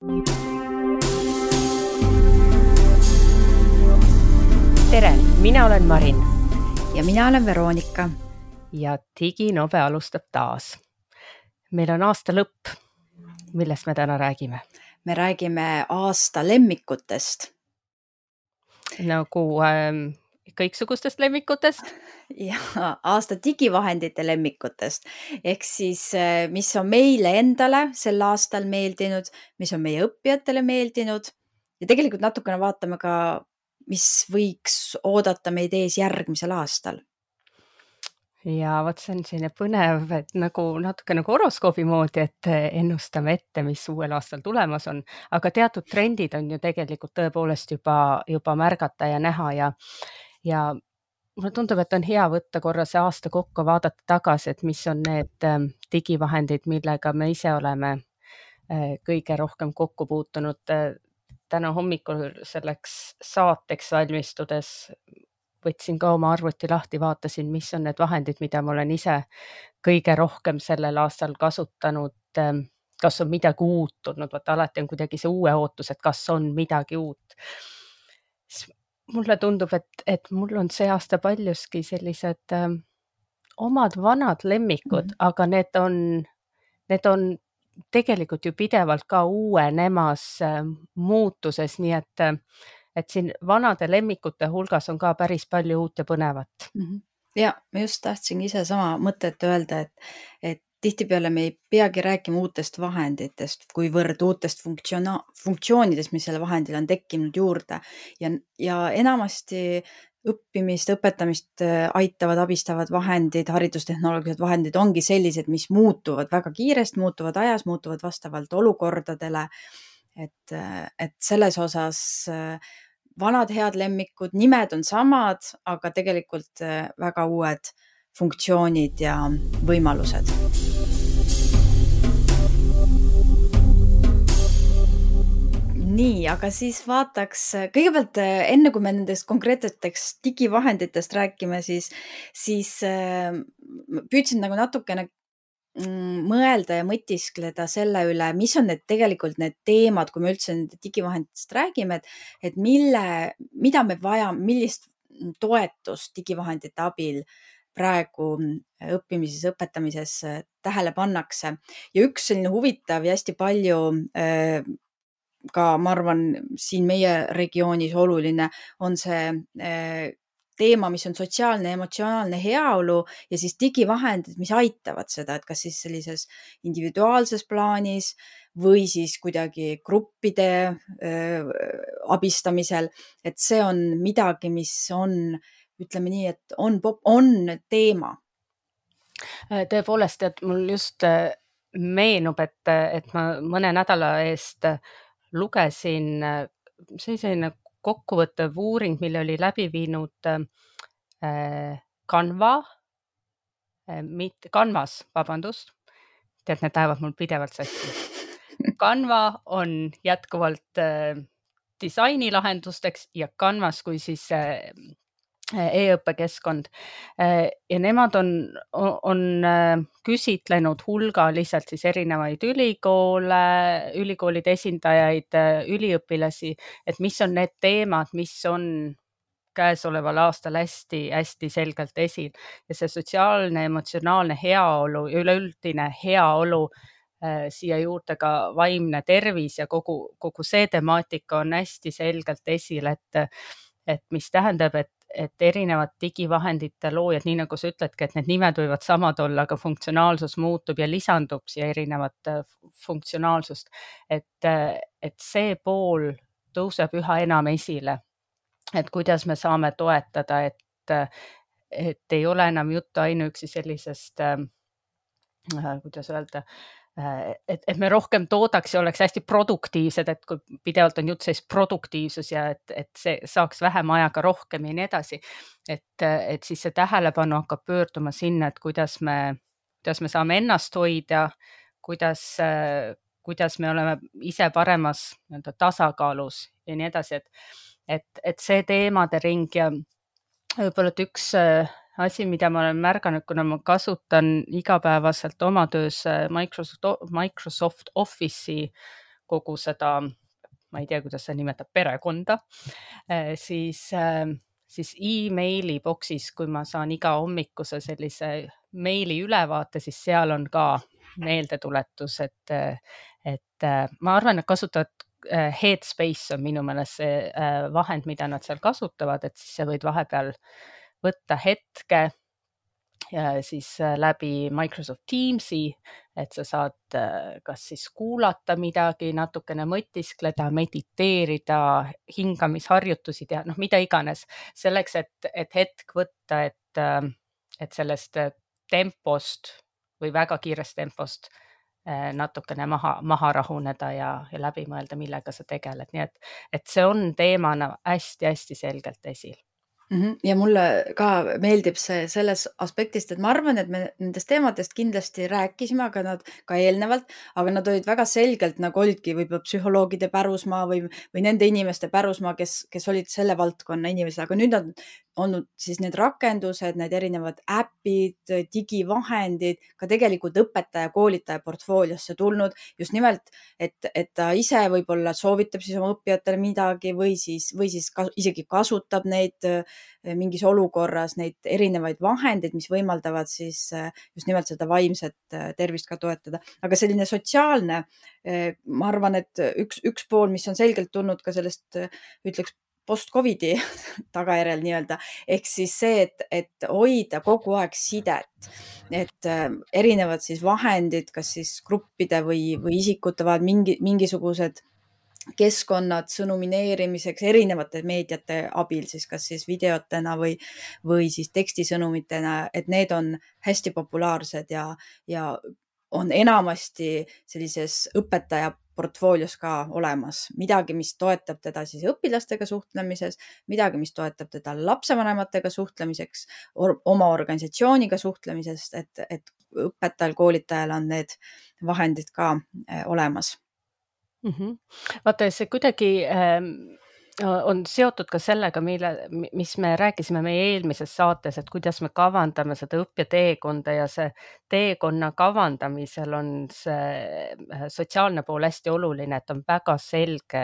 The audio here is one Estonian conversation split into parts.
Tere, mina olen Marin ja mina olen Veronika. ja Diginobe alustab taas. Meil on aasta lõpp, millest me täna räägime. Me räägime aasta lemmikutest. Nagu kõiksugustest lemmikutest. Ja aasta digivahendite lemmikutest. Ehk siis, mis on meile endale sel aastal meeldinud, mis on meie õppijatele meeldinud ja tegelikult natukene vaatame ka, mis võiks oodata meid ees järgmisel aastal. Ja vot see on selline põnev, et nagu natuke nagu horoskoobi moodi, et ennustame ette, mis uuel aastal tulemas on, aga teatud trendid on ju tegelikult tõepoolest juba märgata ja näha ja mulle tundub, et on hea võtta korra see aasta kokku, vaadata tagasi, et mis on need digivahendid, millega me ise oleme kõige rohkem kokku puutunud. Täna hommikul selleks saateks valmistudes võtsin ka oma arvuti lahti, vaatasin, mis on need vahendid, mida ma olen ise kõige rohkem sellel aastal kasutanud, kas on midagi uut tulnud, vaata alati on kuidagi see uue ootus, et kas on midagi uut. Mulle tundub, et mul on see aasta paljuski sellised omad vanad lemmikud, aga need on tegelikult ju pidevalt ka uuenemas muutuses, nii et siin vanade lemmikute hulgas on ka päris palju uut ja põnevat. Ja ma just tahtsingi ise sama mõtet öelda, et tihtipeale me ei peagi rääkima uutest vahenditest, kuivõrd uutest funktsioonidest, mis selle vahendil on tekkinud juurde ja enamasti õppimist, õpetamist aitavad, abistavad vahendid, haridustehnoloogilised vahendid ongi sellised, mis muutuvad väga kiiresti, muutuvad ajas, muutuvad vastavalt olukordadele, et selles osas vanad head lemmikud, nimed on samad, aga tegelikult väga uued funktsioonid ja võimalused. Nii, aga siis vaataks kõigepealt enne, kui me nendest konkreetseteks digivahenditest räägime, siis püüdsin nagu natukene mõelda ja mõtiskleda selle üle, mis on tegelikult need teemad, kui me üldse nende digivahenditest räägime, et mida me vajame, millist toetust digivahendite abil praegu õppimises, õpetamises tähele pannakse. Ja üks selline huvitav ja hästi palju ka, ma arvan, siin meie regioonis oluline on see teema, mis on sotsiaalne ja emotsionaalne heaolu ja siis digivahendid, mis aitavad seda, et kas siis sellises individuaalses plaanis või siis kuidagi gruppide abistamisel, et see on midagi, mis on, ütleme nii, et on teema. Tõepoolest, et mul just meenub, et ma mõne nädala eest lugesin selline kokkuvõttev uuring, mille oli läbi viinud Canvas, tead, need lähevad mul pidevalt sassi. Canva on jätkuvalt disainilahendusteks ja Canvas kui siis e-õppekeskkond ja nemad on küsitlenud hulgaliselt siis erinevaid ülikoolide esindajaid, üliõpilasi, et mis on need teemad, mis on käesoleval aastal hästi selgelt esil ja see sotsiaalne, emotsionaalne heaolu ja üleüldine heaolu, siia juurde ka vaimne tervis ja kogu see temaatika on hästi selgelt esil, et mis tähendab, et erinevad digivahendite loojad, nii nagu sa ütledki, et need nimed võivad samad olla, aga funktsionaalsus muutub ja lisandub siia erinevat funktsionaalsust, et see pool tõuseb üha enam esile, et kuidas me saame toetada, et ei ole enam juttu ainuüksi sellisest, kuidas öelda, et me rohkem toodaks ja oleks hästi produktiivsed, et kui pidevalt on jutt sellist produktiivsus ja et see saaks vähem ajaga rohkem ja nii edasi, et siis see tähelepanu hakkab pöörduma sinna, et kuidas me saame ennast hoida, kuidas me oleme ise paremas tasakaalus ja nii edasi, et see teemade ring ja võib-olla üks asi, mida ma olen märganud, kuna ma kasutan igapäevaselt oma töös Microsoft Office'i kogu seda, ma ei tea, kuidas see nimetab, perekonda, siis emaili boksis, kui ma saan iga hommikuse sellise meili ülevaate, siis seal on ka meeldetuletus, et ma arvan, et kasutavad Headspace on minu meelest see vahend, mida nad seal kasutavad, et siis sa võid vahepeal võtta hetke ja siis läbi Microsoft Teamsi, et sa saad kas siis kuulata midagi, natukene mõtiskleda, mediteerida, hingamisharjutusi teha, noh, mida iganes, selleks, et hetk võtta, et sellest tempost või väga kiirest tempost natukene maha rahuneda ja läbi mõelda, millega sa tegeled. Nii et see on teemana hästi-hästi selgelt esil. Ja mulle ka meeldib see selles aspektist, et ma arvan, et me nendest teemadest kindlasti rääkisime, aga nad ka eelnevalt, aga nad olid väga selgelt, nagu olidki võib-olla psühholoogide pärusmaa või nende inimeste pärusmaa, kes olid selle valdkonna inimesed, aga nüüd on olnud siis need rakendused, need erinevad äpid, digivahendid, ka tegelikult õpetaja, koolitaja portfooliosse tulnud just nimelt, et ta ise võib-olla soovitab siis oma õppijatele midagi või siis isegi kasutab neid mingis olukorras, neid erinevaid vahendeid, mis võimaldavad siis just nimelt seda vaimset tervist ka toetada. Aga selline sotsiaalne, ma arvan, et üks pool, mis on selgelt tulnud ka sellest, ütleks, post-Covidi tagajärjel nii-öelda, ehk siis see, et hoida kogu aeg sidet, et erinevad siis vahendid, kas siis gruppide või isikute vahel mingisugused keskkonnad sõnumineerimiseks erinevate meediate abil, siis kas siis videotena või siis tekstisõnumitena, et need on hästi populaarsed ja on enamasti sellises õpetaja portfoolios ka olemas midagi, mis toetab teda siis õpilastega suhtlemises, midagi, mis toetab teda lapsevanematega suhtlemiseks, oma organisatsiooniga suhtlemises, et õpetajal, koolitajal on need vahendid ka olemas. Vaata, see kuidagi on seotud ka sellega, mis me rääkisime meie eelmises saates, et kuidas me kavandame seda õppeteekonda ja see teekonna kavandamisel on see sotsiaalne pool hästi oluline, et on väga selge,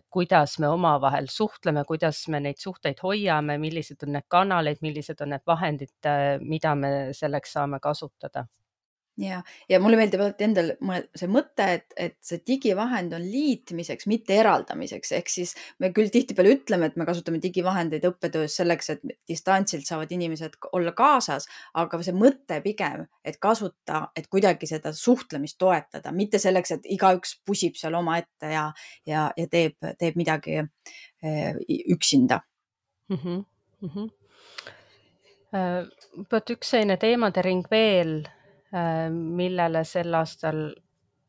kuidas me omavahel suhtleme, kuidas me neid suhteid hoiame, millised on need kanaleid, millised on need vahendid, mida me selleks saame kasutada. Ja mulle meeldib alati endal see mõte, et see digivahend on liitmiseks, mitte eraldamiseks. Ehk siis me küll tihtipeale ütleme, et me kasutame digivahendeid õppetöös selleks, et distantsilt saavad inimesed olla kaasas, aga see mõte pigem, et kasuta, et kuidagi seda suhtlemist toetada, mitte selleks, et igaüks pusib seal oma ette ja teeb midagi üksinda. Üks selline teemade ring veel, millele sel aastal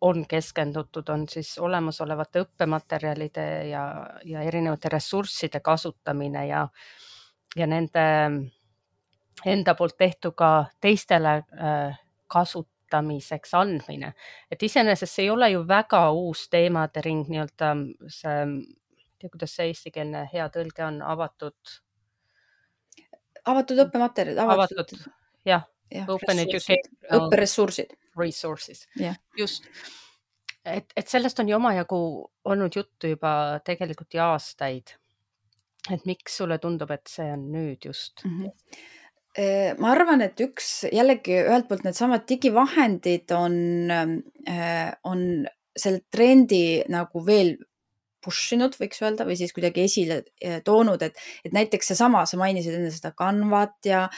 on keskendutud, on siis olemasolevate õppematerjalide ja erinevate ressursside kasutamine ja nende enda poolt tehtu ka teistele kasutamiseks andmine. Et iseenesest see ei ole ju väga uus teemade ring, nii-öelda see, ei tea, kuidas see eestikeelne hea tõlge on, avatud õppematerjalid, jah. Open education õpperessursid. Resources. Just. Et sellest on ju omajagu olnud juttu juba tegelikult ja aastaid. Et miks sulle tundub, et see on nüüd just? Ma arvan, et jällegi ühelt poolt needsamad digivahendid on selle trendi nagu veel pushinud, võiks öelda, või siis kuidagi esile toonud, et näiteks sa mainisid enne seda Canvat ja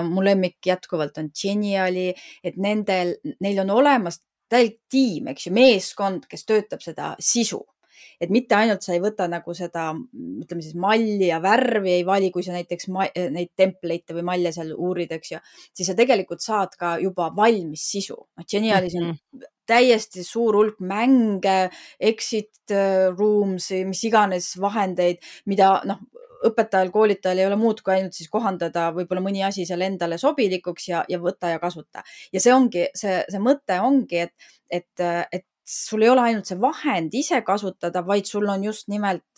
mu lemmik jätkuvalt on Geniali, et neil on olemas täielik tiim, eks ju, meeskond, kes töötab seda sisu. Et mitte ainult sa ei võta nagu seda, ütleme siis malli ja värvi ei vali, kui sa näiteks neid template'e või malle seal uurid, eks ju, siis sa tegelikult saad ka juba valmis sisu. Genialis on täiesti suur hulk mänge, exit rooms, mis iganes vahendeid, mida õpetajal, koolitajal ei ole muud kui ainult siis kohandada võib-olla mõni asi seal endale sobilikuks ja võtta ja kasuta. Ja see mõte ongi, et sul ei ole ainult see vahend ise kasutada, vaid sul on just nimelt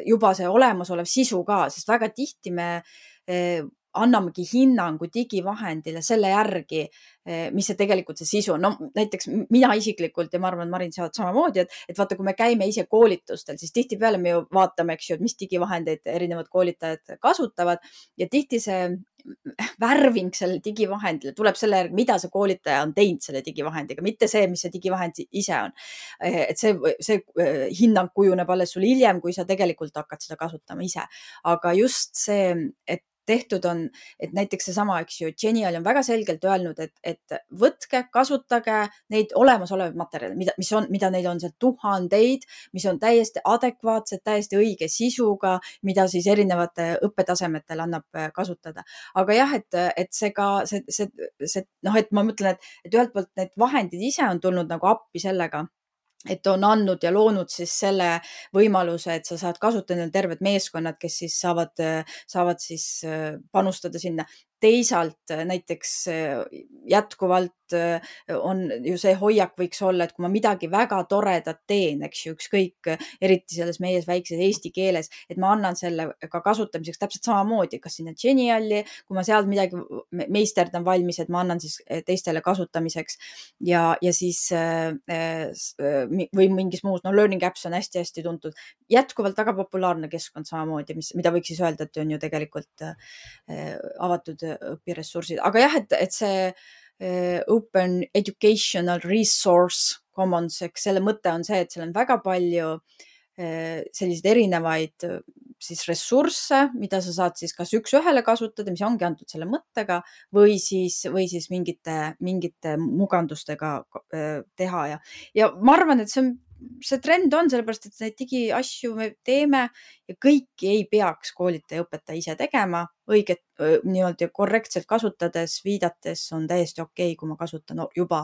juba see olemasolev sisu ka, sest väga tihti me annamegi hinnangu digivahendile selle järgi, mis see tegelikult see sisu on. No näiteks mina isiklikult ja ma arvan, Marin, sa oled samamoodi, et vaata, kui me käime ise koolitustel, siis tihtipeale me ju vaatame, eks ju, et mis digivahendeid erinevad koolitajad kasutavad ja tihti see värving selle digivahendile tuleb selle järgi, mida see koolitaja on teinud selle digivahendiga, mitte see, mis see digivahend ise on. Et see hinnang kujuneb alles sul hiljem, kui sa tegelikult hakkad seda kasutama ise. Aga just see, et tehtud on, et näiteks seesama, eks ju, Genial on väga selgelt öelnud, et võtke, kasutage neid olemasolevaid materjale, mida neil on seal tuhandeid, mis on täiesti adekvaatsed, täiesti õige sisuga, mida siis erinevate õppetasemetel annab kasutada. Aga jah, et see ka, noh, et ma mõtlen, et ühelt poolt need vahendid ise on tulnud nagu appi sellega, et on andnud ja loonud siis selle võimaluse, et sa saad kasutada terved meeskonnad, kes siis saavad siis panustada sinna. Teisalt näiteks jätkuvalt on ju see hoiak võiks olla, et kui ma midagi väga toredat teen, eks ju, ükskõik, eriti selles meie väikses eesti keeles, et ma annan selle ka kasutamiseks täpselt samamoodi, kas sinna Geniali, kui ma seal midagi meisterdan valmis, et ma annan siis teistele kasutamiseks ja siis või mingis muus, no Learning Apps on hästi-hästi tuntud. Jätkuvalt väga populaarne keskkond samamoodi, mida võiks siis öelda, et on ju tegelikult avatud õpiressursid. Aga jah, et see Open Educational Resource Commons, eks selle mõte on see, et seal on väga palju selliseid erinevaid siis ressursse, mida sa saad siis kas üks-ühele kasutada, mis ongi antud selle mõttega või siis mingite mugandustega teha ja ma arvan, et see trend on sellepärast, et neid digiasju me teeme ja kõiki ei peaks koolitaja õpetaja ise tegema. Õiget nii-öelda korrektselt kasutades, viidates on täiesti okei, kui ma kasutan juba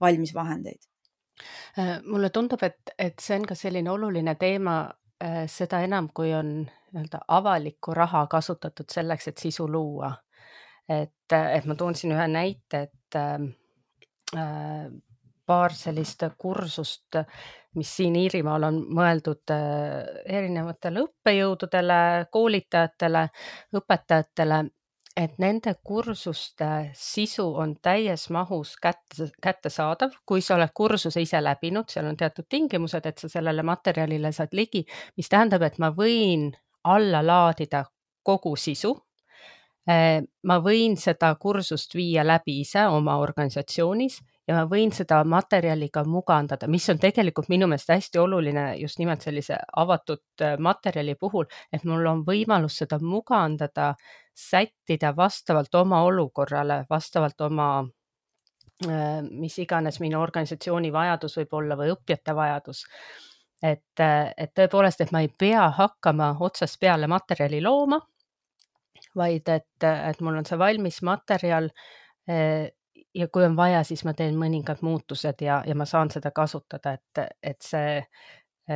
valmis vahendeid. Mulle tundub, et see on ka selline oluline teema, seda enam, kui on nii-öelda avalikku raha kasutatud selleks, et sisu luua. Et ma toon siin ühe näite, et paar sellist kursust, mis siin Iirimaal on mõeldud erinevatele õppejõududele, koolitajatele, õpetajatele, et nende kursuste sisu on täies mahus kättesaadav, kui sa oled kursuse ise läbinud, seal on teatud tingimused, et sa sellele materjalile saad ligi, mis tähendab, et ma võin alla laadida kogu sisu. Ma võin seda kursust viia läbi ise oma organisatsioonis ja ma võin seda materjaliga mugandada, mis on tegelikult minu meelest hästi oluline just nimelt sellise avatud materjali puhul, et mul on võimalus seda mugandada, sättida vastavalt oma olukorrale, vastavalt oma, mis iganes minu organisatsiooni vajadus võib olla või õppijate vajadus. Et tõepoolest, et ma ei pea hakkama otsast peale materjali looma, vaid et mul on see valmis materjal ja kui on vaja, siis ma teen mõningad muutused ja ma saan seda kasutada, et see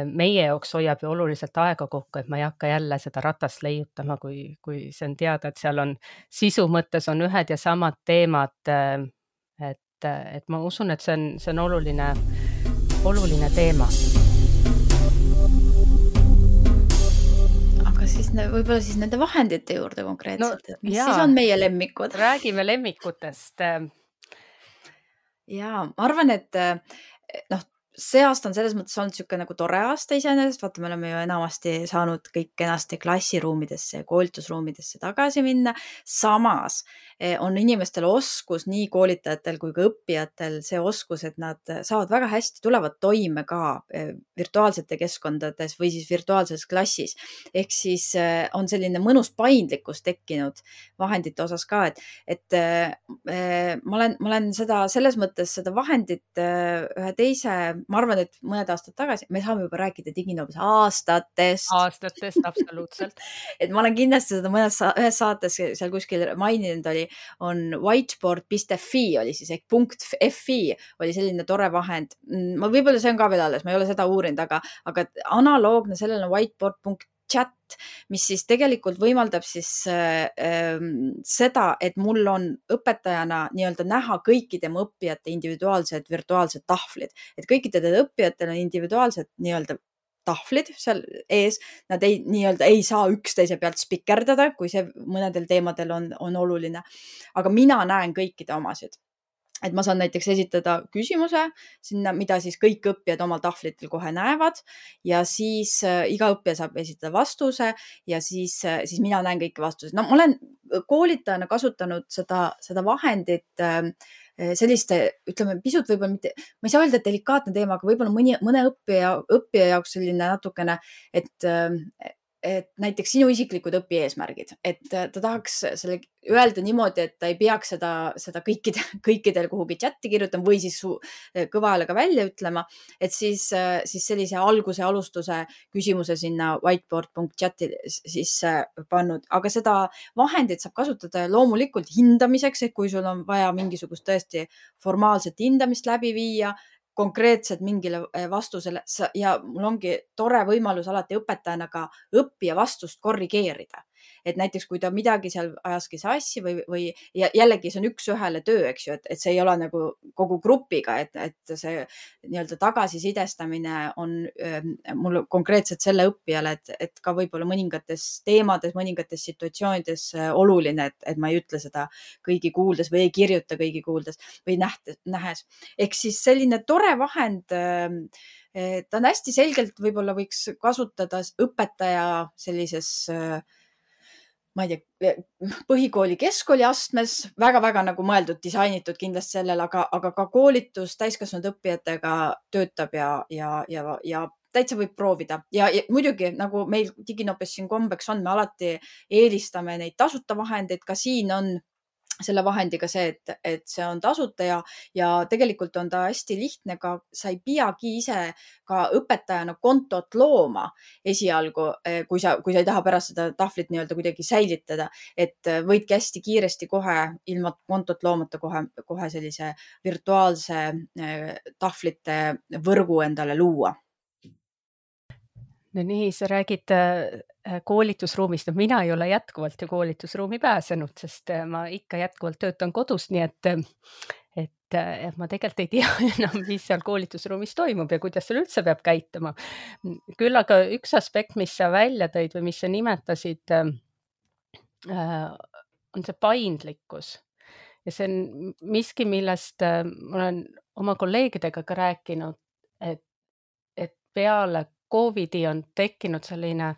meie jaoks hoiab ju oluliselt aega kokku, et ma ei hakka jälle seda ratast leiutama, kui see on teada, et seal on sisu mõttes on ühed ja samad teemad, et ma usun, et see on oluline teema. Siis võib-olla siis nende vahendite juurde konkreetselt, mis jaa, siis on meie lemmikud? Räägime lemmikutest. Jaa, ma arvan, et see aasta on selles mõttes olnud niisugune nagu tore aasta iseenesest, vaata, me oleme ju enamasti saanud kõik kenasti klassiruumidesse ja koolitusruumidesse tagasi minna. Samas on inimestel oskus, nii koolitajatel kui ka õppijatel see oskus, et nad saavad väga hästi, tulevad toime ka virtuaalsete keskkondades või siis virtuaalses klassis. Ehk siis on selline mõnus paindlikkus tekkinud vahendite osas ka, et ma olen seda selles mõttes seda vahendit ühe teise, ma arvan, et mõned aastad tagasi, me saame juba rääkida Diginoobis aastatest, absoluutselt. Et ma olen kindlasti seda ühes saates seal kuskil maininud on whiteboard.fi oli siis ehk .fi oli selline tore vahend. Võib-olla see on ka veel alles, ma ei ole seda uurinud, aga analoogne sellele on whiteboard.chat, mis siis tegelikult võimaldab siis seda, et mul on õpetajana nii-öelda näha kõikide mu õppijate individuaalsed virtuaalsed tahvlid. Et kõikidel õppijatel on individuaalsed nii-öelda tahvlid seal ees, nad nii-öelda ei saa üksteise pealt spikerdada, kui see mõnedel teemadel on oluline. Aga mina näen kõikide omasid. Et ma saan näiteks esitada küsimuse sinna, mida siis kõik õppijad omal tahvlitel kohe näevad ja siis iga õppija saab esitada vastuse ja siis mina näen kõiki vastuseid. No ma olen koolitajana kasutanud seda vahendit selliste, ütleme, pisut võib-olla mitte, ma ei saa öelda, et delikaatne teema, aga võib-olla mõne õppija jaoks selline natukene, et näiteks sinu isiklikud õpieesmärgid, et ta tahaks selle öelda niimoodi, et ta ei peaks seda kõikidel kuhugi chati kirjutama või siis kõva häälega välja ütlema, et siis sellise alustuse küsimuse sinna whiteboard.chati sisse pannud, aga seda vahendit saab kasutada loomulikult hindamiseks, et kui sul on vaja mingisugust tõesti formaalset hindamist läbi viia, konkreetselt mingile vastusele ja mul ongi tore võimalus alati õpetajana ka õppija vastust korrigeerida. Et näiteks, kui ta midagi seal ajaski sassi või jällegi see on üks-ühele töö, eks ju, et see ei ole nagu kogu grupiga, et see nii-öelda tagasisidestamine on mul konkreetselt selle õppijale, et ka võib-olla mõningates teemades, mõningates situatsioonides oluline, et ma ei ütle seda kõigi kuuldes või ei kirjuta kõigi kuuldes või nähes. Ehk siis selline tore vahend, ta on hästi selgelt, võib-olla võiks kasutada õpetaja sellises ma ei tea, põhikooli, keskkooli astmes, väga-väga nagu mõeldud, disainitud kindlasti sellel, aga ka koolitus täiskasvanud õppijatega töötab ja täitsa võib proovida. Ja muidugi, nagu meil Diginopes siin kombeks on, me alati eelistame neid tasuta vahendeid, ka siin on selle vahendiga see, et see on tasuta ja tegelikult on ta hästi lihtne ka, sa ei peagi ise ka õpetajana kontot looma esialgu, kui sa ei taha pärast seda tahvlit nii-öelda kuidagi säilitada, et võidki hästi kiiresti kohe ilma kontot loomata kohe sellise virtuaalse tahvlite võrgu endale luua. No nii, sa räägid koolitusruumist, no mina ei ole jätkuvalt ju koolitusruumi pääsenud, sest ma ikka jätkuvalt töötan kodus, nii et ma tegelikult ei tea enam, mis seal koolitusruumis toimub ja kuidas seal üldse peab käituma. Küll aga üks aspekt, mis sa välja tõid või mis sa nimetasid, on see paindlikkus. Ja see on miski, millest ma olen oma kolleegidega ka rääkinud, et peale COVID-i on tekkinud selline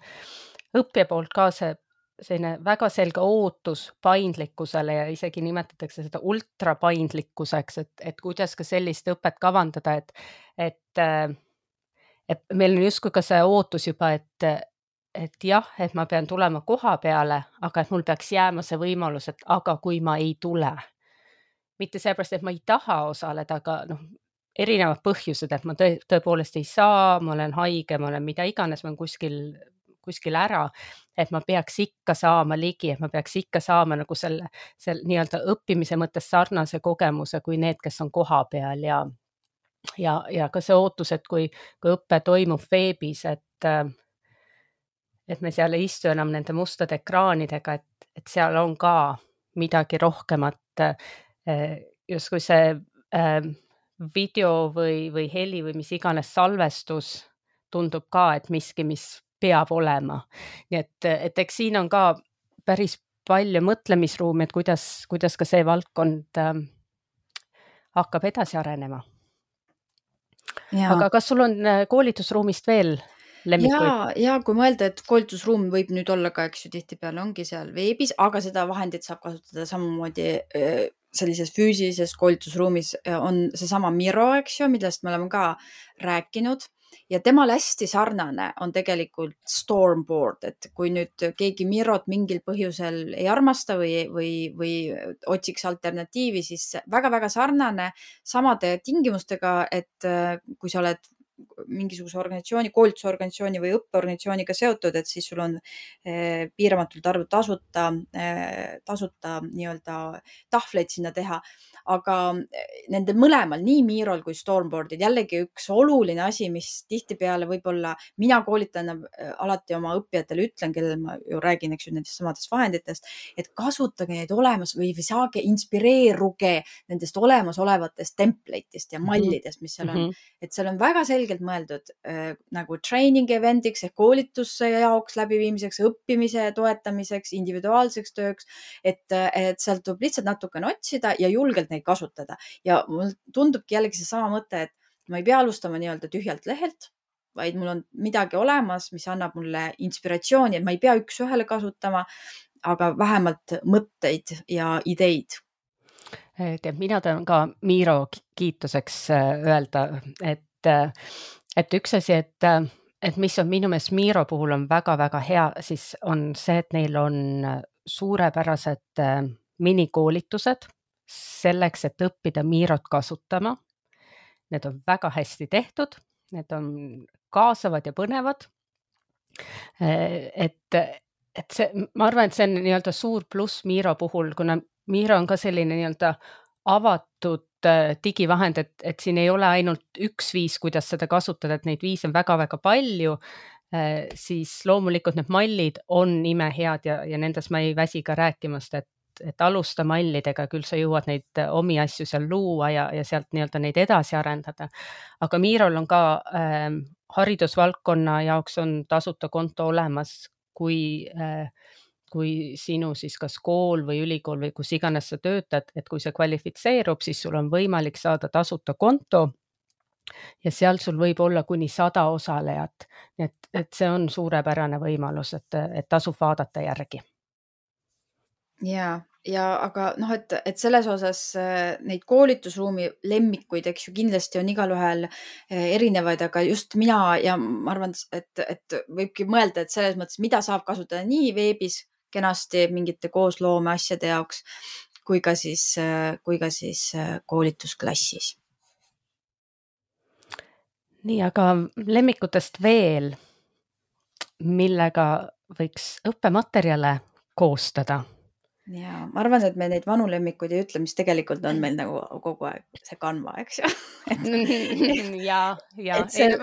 õppija poolt ka selline väga selge ootus paindlikkusele ja isegi nimetatakse seda ultrapaindlikkuseks, et kuidas ka sellist õpet kavandada, et meil on justkui ka see ootus juba, et jah, et ma pean tulema koha peale, aga et mul peaks jääma see võimalus, et aga kui ma ei tule. Mitte seepärast, et ma ei taha osaleda, aga erinevad põhjused, et ma tõepoolest ei saa, ma olen haige, ma olen mida iganes, ma olen kuskil ära, et ma peaks ikka saama ligi, et ma peaks ikka saama nagu selle nii-öelda õppimise mõttes sarnase kogemuse kui need, kes on koha peal ja ka see ootus, et kui õppe toimub veebis, et me seal ei istu enam nende mustade ekraanidega, et seal on ka midagi rohkemat, justkui see video või heli või mis iganes salvestus tundub ka, et miski, mis peab olema. Nii et eks siin on ka päris palju mõtlemisruumi, et kuidas ka see valdkond hakkab edasi arenema. Aga kas sul on koolitusruumist veel lemmikuid? Ja kui mõelda, et koolitusruum võib nüüd olla ka, eks ju, tihtipeale ongi seal veebis, aga seda vahendit saab kasutada samamoodi sellises füüsilises koolitusruumis on seesama Miro, eks ju, millest me oleme ka rääkinud ja temal hästi sarnane on tegelikult Stormboard, et kui nüüd keegi Mirot mingil põhjusel ei armasta või otsiks alternatiivi, siis väga-väga sarnane samade tingimustega, et kui sa oled mingisuguse organisatsiooni, koolitusorganisatsiooni või õppeorganisatsiooniga seotud, et siis sul on piiramatult arvu tasuta nii-öelda tahvleid sinna teha. Aga nende mõlemal, nii Mirol kui Stormboardil, jällegi üks oluline asi, mis tihtipeale võib-olla mina koolitana alati oma õppijatele ütlen, kellel ma ju räägin, eks ju, nendest samadest vahenditest, et kasutage neid olemas või saage, inspireeruge nendest olemasolevatest template'ist ja mallidest, mis seal on. Et seal on väga selge selgelt mõeldud nagu training event'iks ehk koolituse jaoks läbiviimiseks, õppimise toetamiseks, individuaalseks tööks, et sealt tuleb lihtsalt natukene otsida ja julgelt neid kasutada. Ja mul tundubki jällegi seesama mõte, et ma ei pea alustama nii-öelda tühjalt lehelt, vaid mul on midagi olemas, mis annab mulle inspiratsiooni, et ma ei pea üks-ühele kasutama, aga vähemalt mõtteid ja ideid. Tead, mina tahan ka Miro kiituseks öelda, et üks asi, et mis on minu meelest Miro puhul on väga-väga hea, siis on see, et neil on suurepärased minikoolitused selleks, et õppida Mirot kasutama. Need on väga hästi tehtud, need on kaasavad ja põnevad. Et see, ma arvan, et see on nii-öelda suur pluss Miro puhul, kuna Miro on ka selline nii-öelda avatud digivahend, et siin ei ole ainult üks viis, kuidas seda kasutada, et neid viise on väga-väga palju, siis loomulikult need mallid on imehead ja nendes ma ei väsi ka rääkimast, et alusta mallidega, küll sa jõuad neid omi asju seal luua ja sealt nii-öelda neid edasi arendada. Aga Mirol on ka haridusvaldkonna jaoks on tasuta konto olemas, kui sinu siis kas kool või ülikool või kus iganes sa töötad, et kui see kvalifitseerub, siis sul on võimalik saada tasuta konto ja seal sul võib olla kuni 100 osalejat. Et see on suurepärane võimalus, et tasub vaadata järgi. Ja aga et selles osas neid koolitusruumi lemmikuid, eks ju, kindlasti on igalühel erinevaid, aga just mina ja ma arvan, et võibki mõelda, et selles mõttes, mida saab kasutada nii veebis kenasti mingite koosloome asjade jaoks, kui ka siis koolitusklassis. Nii, aga lemmikutest veel, millega võiks õppematerjale koostada? Ja ma arvan, et me neid vanu lemmikuid ei ütle, mis tegelikult on meil nagu kogu aeg see Canva, eks ju. Ja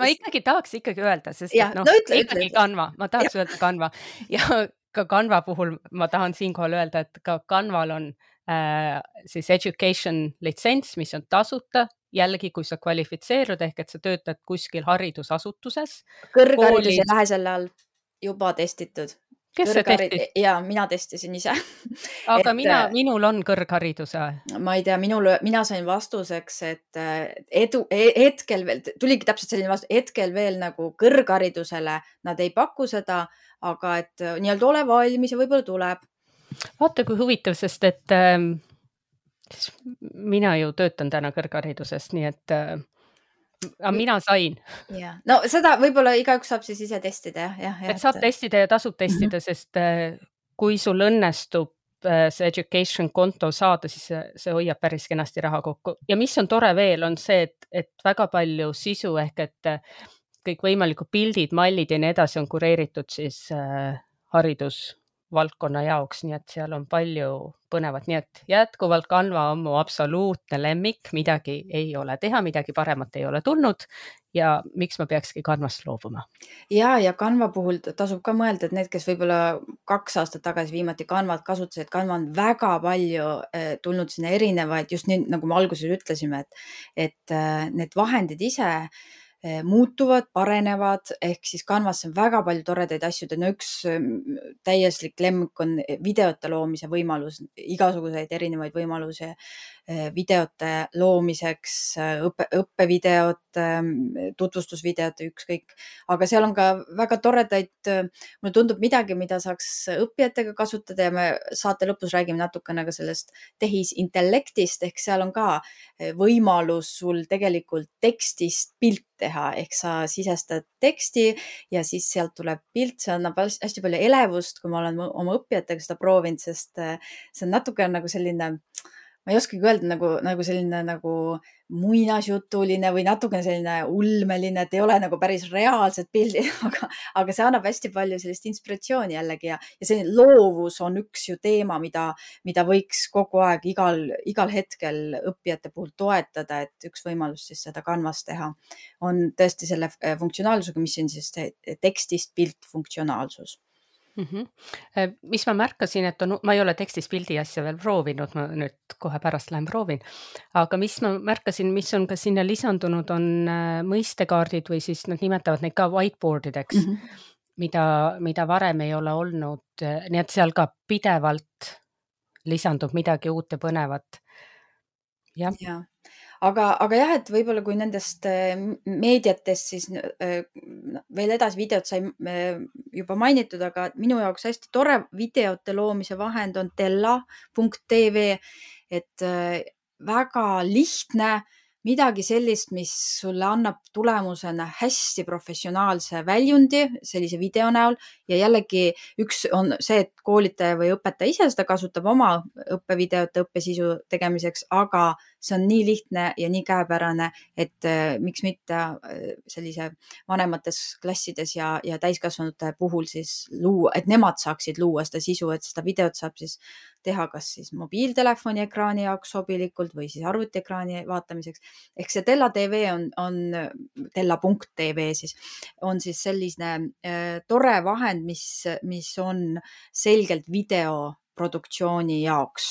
ma ikkagi tahaks öelda, sest ikkagi Canva, ma tahaks öelda Canva ja ka Canva puhul ma tahan siinkohal öelda, et ka Canval on siis education litsents, mis on tasuta, jällegi, kui sa kvalifitseerud ehk et sa töötad kuskil haridusasutuses. Kõrgharidus ei lähe selle all, juba testitud. Kes see testis? Ja mina testisin ise. Aga minul on kõrghariduse. Ma ei tea, mina sain vastuseks, et hetkel veel, tuligi täpselt selline vastus, hetkel veel nagu kõrgharidusele nad ei paku seda, aga et nii-öelda ole valmis ja võib-olla tuleb. Vaata, kui huvitav, sest et mina ju töötan täna kõrghariduses, nii et mina sain. No seda võib-olla igaüks saab siis ise testida, jah. Et saab testida ja tasub testida, sest kui sul õnnestub see education konto saada, siis see hoiab päris kenasti raha kokku. Ja mis on tore veel, on see, et väga palju sisu ehk et kõik võimalikud pildid, mallid ja nii edasi on kureeritud siis haridusvaldkonna jaoks, nii et seal on palju põnevat, nii et jätkuvalt Canva on mu absoluutne lemmik, midagi ei ole teha, midagi paremat ei ole tulnud ja miks ma peakski Canvast loobuma. Ja Canva puhul tasub ka mõelda, et need, kes võib-olla 2 aastat tagasi viimati Canvat kasutasid, Canva on väga palju tulnud sinna erinevaid, just nii, nagu me alguses ütlesime, et need vahendid ise muutuvad, parenevad, ehk siis Canvasse on väga palju toredaid asju. No üks täieslik lemmik on videote loomise võimalus, igasuguseid erinevaid võimalusi videote loomiseks, õppevideot, tutvustusvideot, ükskõik. Aga seal on ka väga toredaid, mulle tundub midagi, mida saaks õppijatega kasutada ja me saate lõpus räägime natukene ka sellest tehisintellektist, ehk seal on ka võimalus sul tegelikult tekstist pilt teha, ehk sa sisestad teksti ja siis sealt tuleb pilt, see annab hästi palju elevust, kui ma olen oma õppijatega seda proovinud, sest see on natuke nagu selline, ma ei oskagi öelda, nagu selline nagu muinasjutuline või natukene selline ulmeline, et ei ole nagu päris reaalsed pildid, aga see annab hästi palju sellist inspiratsiooni jällegi ja selline loovus on üks ju teema, mida võiks kogu aeg igal hetkel õppijate puhul toetada, et üks võimalus siis seda Canvas teha on tõesti selle funktsionaalsusega, mis on siis tekstist pilt funktsionaalsus. Mhm. Mis ma märkasin, et ma ei ole tekstis pildi asja veel proovinud, ma nüüd kohe pärast lähen proovin, aga mis ma märkasin, mis on ka sinna lisandunud, on mõistekaardid või siis nad nimetavad neid ka whiteboard ideks, mida varem ei ole olnud, nii et seal ka pidevalt lisandub midagi uut ja põnevat. Jah. Ja. Aga jah, et võib-olla kui nendest meediatest siis veel edasi videot sai juba mainitud, aga minu jaoks hästi tore videote loomise vahend on Tella.tv, et väga lihtne, midagi sellist, mis sulle annab tulemusena hästi professionaalse väljundi sellise video näol ja jällegi üks on see, et koolitaja või õpetaja ise seda kasutab oma õppevideote õppesisu tegemiseks, aga see on nii lihtne ja nii käepärane, et miks mitte sellise vanemates klassides ja täiskasvanute puhul siis luua, et nemad saaksid luua seda sisu, et seda videot saab siis teha kas siis mobiiltelefoni ekraani jaoks sobilikult või siis arvutiekraani vaatamiseks. Ehk see Tella TV on Tella.tv siis on siis selline tore vahend, mis on selgelt videoproduktsiooni jaoks.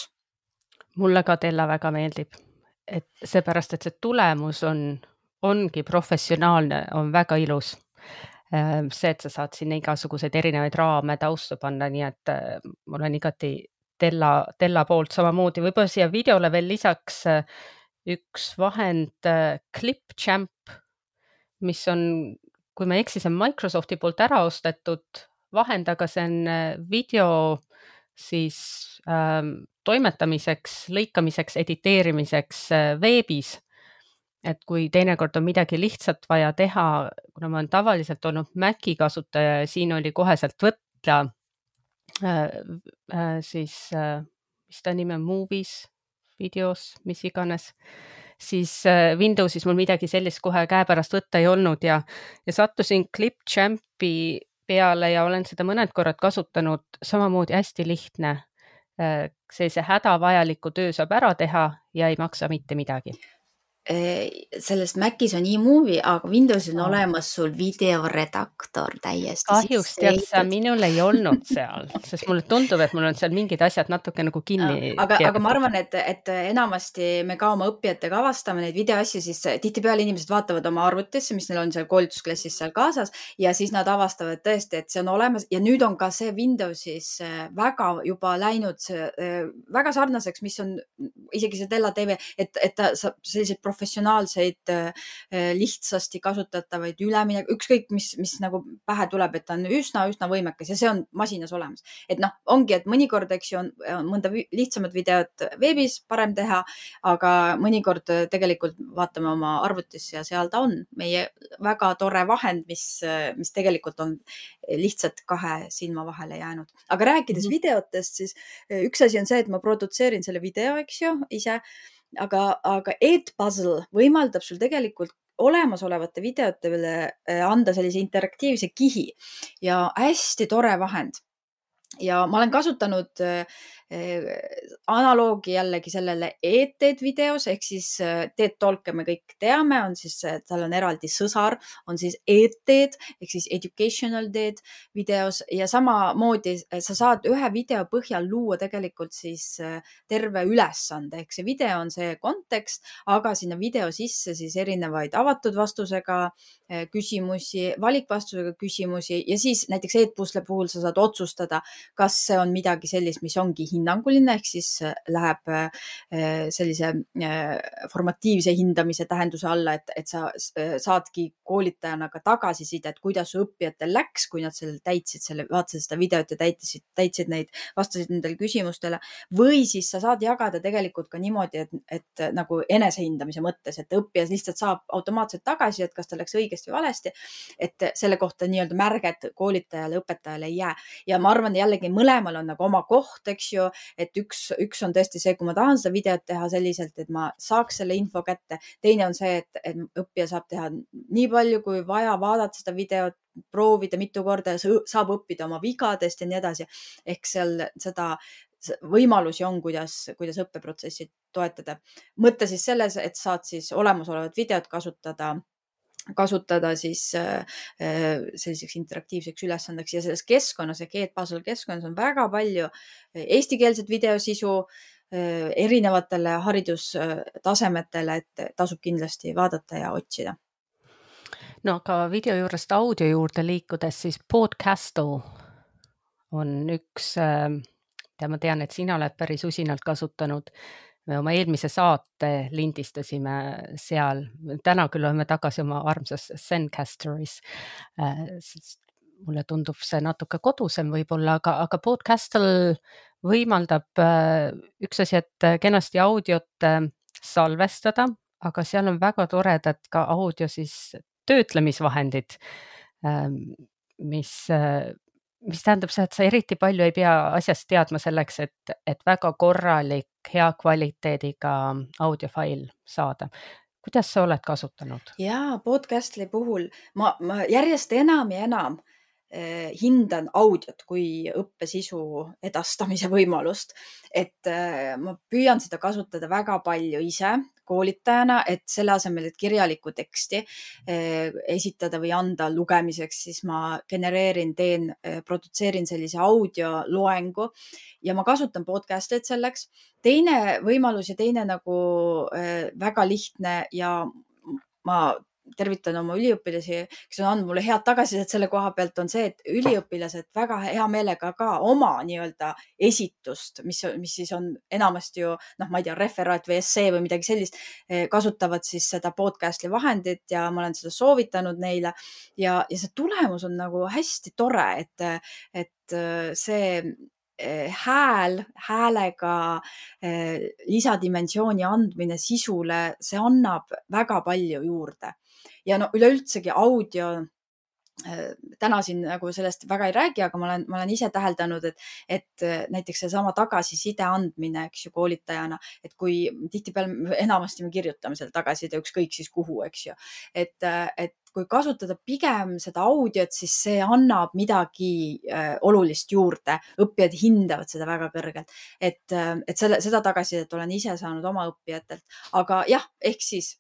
Mulle ka Tella väga meeldib, et seepärast, et see tulemus ongi professionaalne, on väga ilus. See, et sa saad sinna igasuguseid erinevaid raame taustu panna, nii et mul on igati Tella poolt samamoodi. Võib-olla siia videole veel lisaks üks vahend Clipchamp, mis on, kui ma ei eksi, see on Microsofti poolt ära ostetud vahend, aga see on video siis toimetamiseks, lõikamiseks, editeerimiseks veebis. Et kui teinekord on midagi lihtsalt vaja teha, kuna ma olen tavaliselt olnud Maci kasutaja ja siin oli koheselt võtta siis, mis ta nimi on, Movies, videos, mis iganes, siis Windowsis mul midagi sellist kohe käepärast võtta ei olnud ja sattusin Clipchampi peale ja olen seda mõned korrad kasutanud, samamoodi hästi lihtne. Sellise hädavajaliku töö saab ära teha ja ei maksa mitte midagi. Sellest Macis on eMovie, aga Windowsil on olemas sul videoredaktor täiesti. Kahjuks tead sa, minul ei olnud seal, sest mulle tundub, et mul on seal mingid asjad natuke nagu kinni. Aga ma arvan, et enamasti me ka oma õppijatega avastame neid videoasju, siis tihtipeale inimesed vaatavad oma arvutisse, mis neil on seal koolitusklassis seal kaasas ja siis nad avastavad tõesti, et see on olemas ja nüüd on ka see Windowsis väga juba läinud väga sarnaseks, mis on isegi see Tella TV, et ta saab selliseid professionaalseid, lihtsasti kasutatavaid üleminek, ükskõik mis nagu pähe tuleb, et ta on üsna võimekas ja see on masinas olemas. Et noh, ongi, et mõnikord, eks ju, on mõnda lihtsamat videot veebis parem teha, aga mõnikord tegelikult vaatame oma arvutis ja seal ta on meie väga tore vahend, mis tegelikult on lihtsalt kahe silma vahele jäänud. Aga rääkides videotest, siis üks asi on see, et ma produtseerin selle video, eks ju, ise, aga Edpuzzle võimaldab sul tegelikult olemasolevate videote üle anda sellise interaktiivse kihi ja hästi tore vahend. Ja ma olen kasutanud analoogi jällegi sellele ETED videos, ehk siis TED Talk'e me kõik teame, on siis, tal on eraldi sõsar, on siis ETED ehk siis Educational TED videos ja samamoodi sa saad ühe video põhjal luua tegelikult siis terve ülesande, ehk see video on see kontekst, aga sinna video sisse siis erinevaid avatud vastusega küsimusi, valikvastusega küsimusi ja siis näiteks Edpuzzle puhul sa saad otsustada, kas see on midagi sellist, mis ongi hinnanguline, ehk siis läheb sellise formatiivse hindamise tähenduse alla, et sa saadki koolitajana ka tagasisidet, kuidas su õppijatel läks, kui nad selle täitsid, vaatasid seda videot ja täitsid neid, vastasid nendele küsimustele. Või siis sa saad jagada tegelikult ka niimoodi, et nagu enesehindamise mõttes, et õppija lihtsalt saab automaatselt tagasi, et kas ta läks õigesti või valesti, et selle kohta nii-öelda märget koolitajale, õpetajale ei jää. Ja ma arvan jällegi mõlemal on nagu oma koht, eks ju, et üks on tõesti see, kui ma tahan seda videot teha selliselt, et ma saaks selle info kätte. Teine on see, et õppija saab teha nii palju, kui vaja, vaadata seda videot, proovida mitu korda ja saab õppida oma vigadest ja nii edasi. Ehk seal seda võimalusi on, kuidas õppeprotsessi toetada. Mõte siis selles, et saad siis olemasolevat videot kasutada kasutada siis selliseks interaktiivseks ülesandeks ja selles keskkonnas, Edpuzzle keskkonnas on väga palju eestikeelset videosisu erinevatele haridustasemetele, et tasub kindlasti vaadata ja otsida. No aga video juurest audio juurde liikudes, siis Podcastle on üks, mida ma tean, et sina oled päris usinalt kasutanud. Me oma eelmise saate lindistasime seal. Täna küll oleme tagasi oma armsas Zencasteris, sest mulle tundub see natuke kodusem võib-olla, aga Podcastle võimaldab üks asi, et kenasti audiot salvestada, aga seal on väga toredad ka audio siis töötlemisvahendid, mis tähendab see, et sa eriti palju ei pea asjast teadma selleks, et väga korralik, hea kvaliteediga audiofail saada. Kuidas sa oled kasutanud? Jaa, Podcastli puhul ma järjest enam ja enam hindan audiot kui õppesisu edastamise võimalust, et ma püüan seda kasutada väga palju ise koolitajana, et selle asemel, et kirjalikku teksti esitada või anda lugemiseks, siis ma produtseerin sellise audioloengu ja ma kasutan podcast'it selleks. Teine võimalus ja teine nagu väga lihtne ja ma tervitan oma üliõpilasi, kes on andnud mulle head tagasisidet selle koha pealt, on see, et üliõpilased väga hea meelega ka oma nii-öelda esitust, mis siis on enamasti ju, ma ei tea, referaat või essee või midagi sellist, kasutavad siis seda podcast'i vahendit ja ma olen seda soovitanud neile ja see tulemus on nagu hästi tore, et see häälega lisadimensiooni andmine sisule, see annab väga palju juurde. Ja no üleüldsegi audio, täna siin nagu sellest väga ei räägi, aga ma olen ise täheldanud, et näiteks seesama tagasiside andmine, eks ju, koolitajana, et kui tihtipeale enamasti me kirjutame selle tagasiside ükskõik siis kuhu, eks ju, et kui kasutada pigem seda audiot, siis see annab midagi olulist juurde. Õppijad hindavad seda väga kõrgelt, et seda tagasisidet olen ise saanud oma õppijatelt, aga jah, ehk siis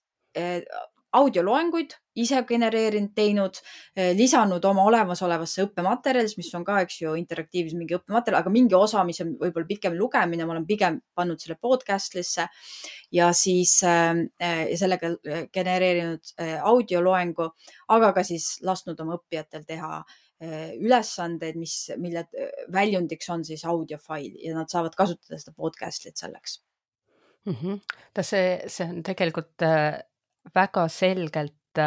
audioloenguid ise genereerinud, teinud, lisanud oma olemasolevasse õppematerjalis, mis on ka, eks ju, interaktiivses mingi õppematerjal, aga mingi osa, mis on võib-olla pikem lugemine, ma olen pigem pannud selle podcast'lisse ja siis sellega genereerinud audioloengu, aga ka siis lasknud oma õppijatel teha ülesandeid, mille väljundiks on siis audiofail ja nad saavad kasutada seda podcast'it selleks. See on tegelikult väga selgelt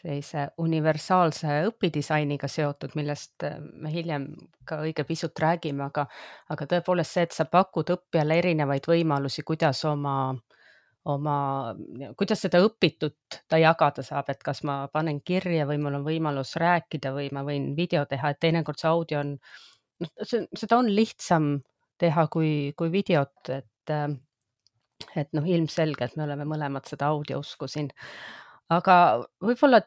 sellise universaalse õpidisainiga seotud, millest me hiljem ka õige pisut räägime, aga tõepoolest see, et sa pakud õppijale erinevaid võimalusi, kuidas kuidas seda õpitut ta jagada saab, et kas ma panen kirja või mul on võimalus rääkida või ma võin video teha, et teinekord see audio on, seda on lihtsam teha kui videot, et ilmselgelt me oleme mõlemad seda audiousku siin. Aga võib-olla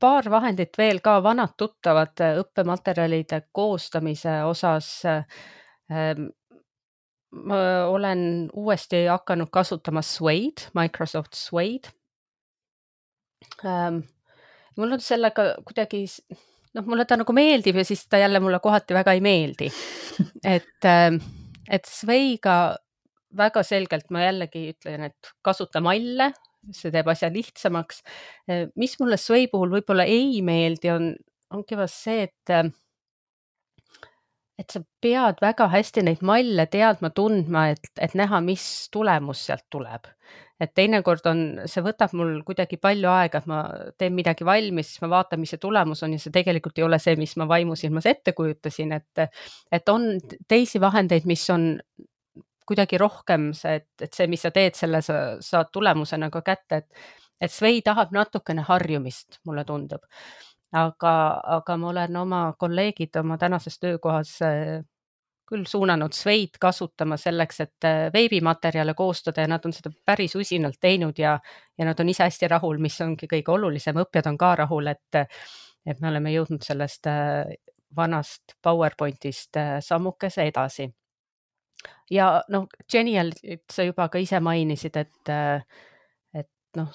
paar vahendit veel ka vanad tuttavad õppematerjalide koostamise osas. Ma olen uuesti hakanud kasutama Suede, Microsoft Suede. Mul on sellega kuidagi, mulle ta nagu meeldib ja siis ta jälle mulle kohati väga ei meeldi. Et Suedega väga selgelt ma jällegi ütlen, et kasuta malle, see teeb asja lihtsamaks. Mis mulle Suede puhul võib-olla ei meeldi, ongi vast see, et sa pead väga hästi neid malle teadma, tundma, et näha, mis tulemus sealt tuleb. Et teinekord see võtab mul kuidagi palju aega, et ma teen midagi valmis, siis ma vaatan, mis see tulemus on ja see tegelikult ei ole see, mis ma vaimusilmas ette kujutasin, et on teisi vahendeid, mis on kuidagi rohkem see, et see, mis sa teed, selle sa saad tulemusena ka kätte, et Suede tahab natukene harjumist, mulle tundub. Aga ma olen oma kolleegid oma tänases töökohas küll suunanud Suede kasutama selleks, et veebimaterjale koostada ja nad on seda päris usinalt teinud ja nad on ise hästi rahul, mis ongi kõige olulisem. Õppijad on ka rahul, et me oleme jõudnud sellest vanast PowerPointist sammukese edasi. Ja Genial, sa juba ka ise mainisid, et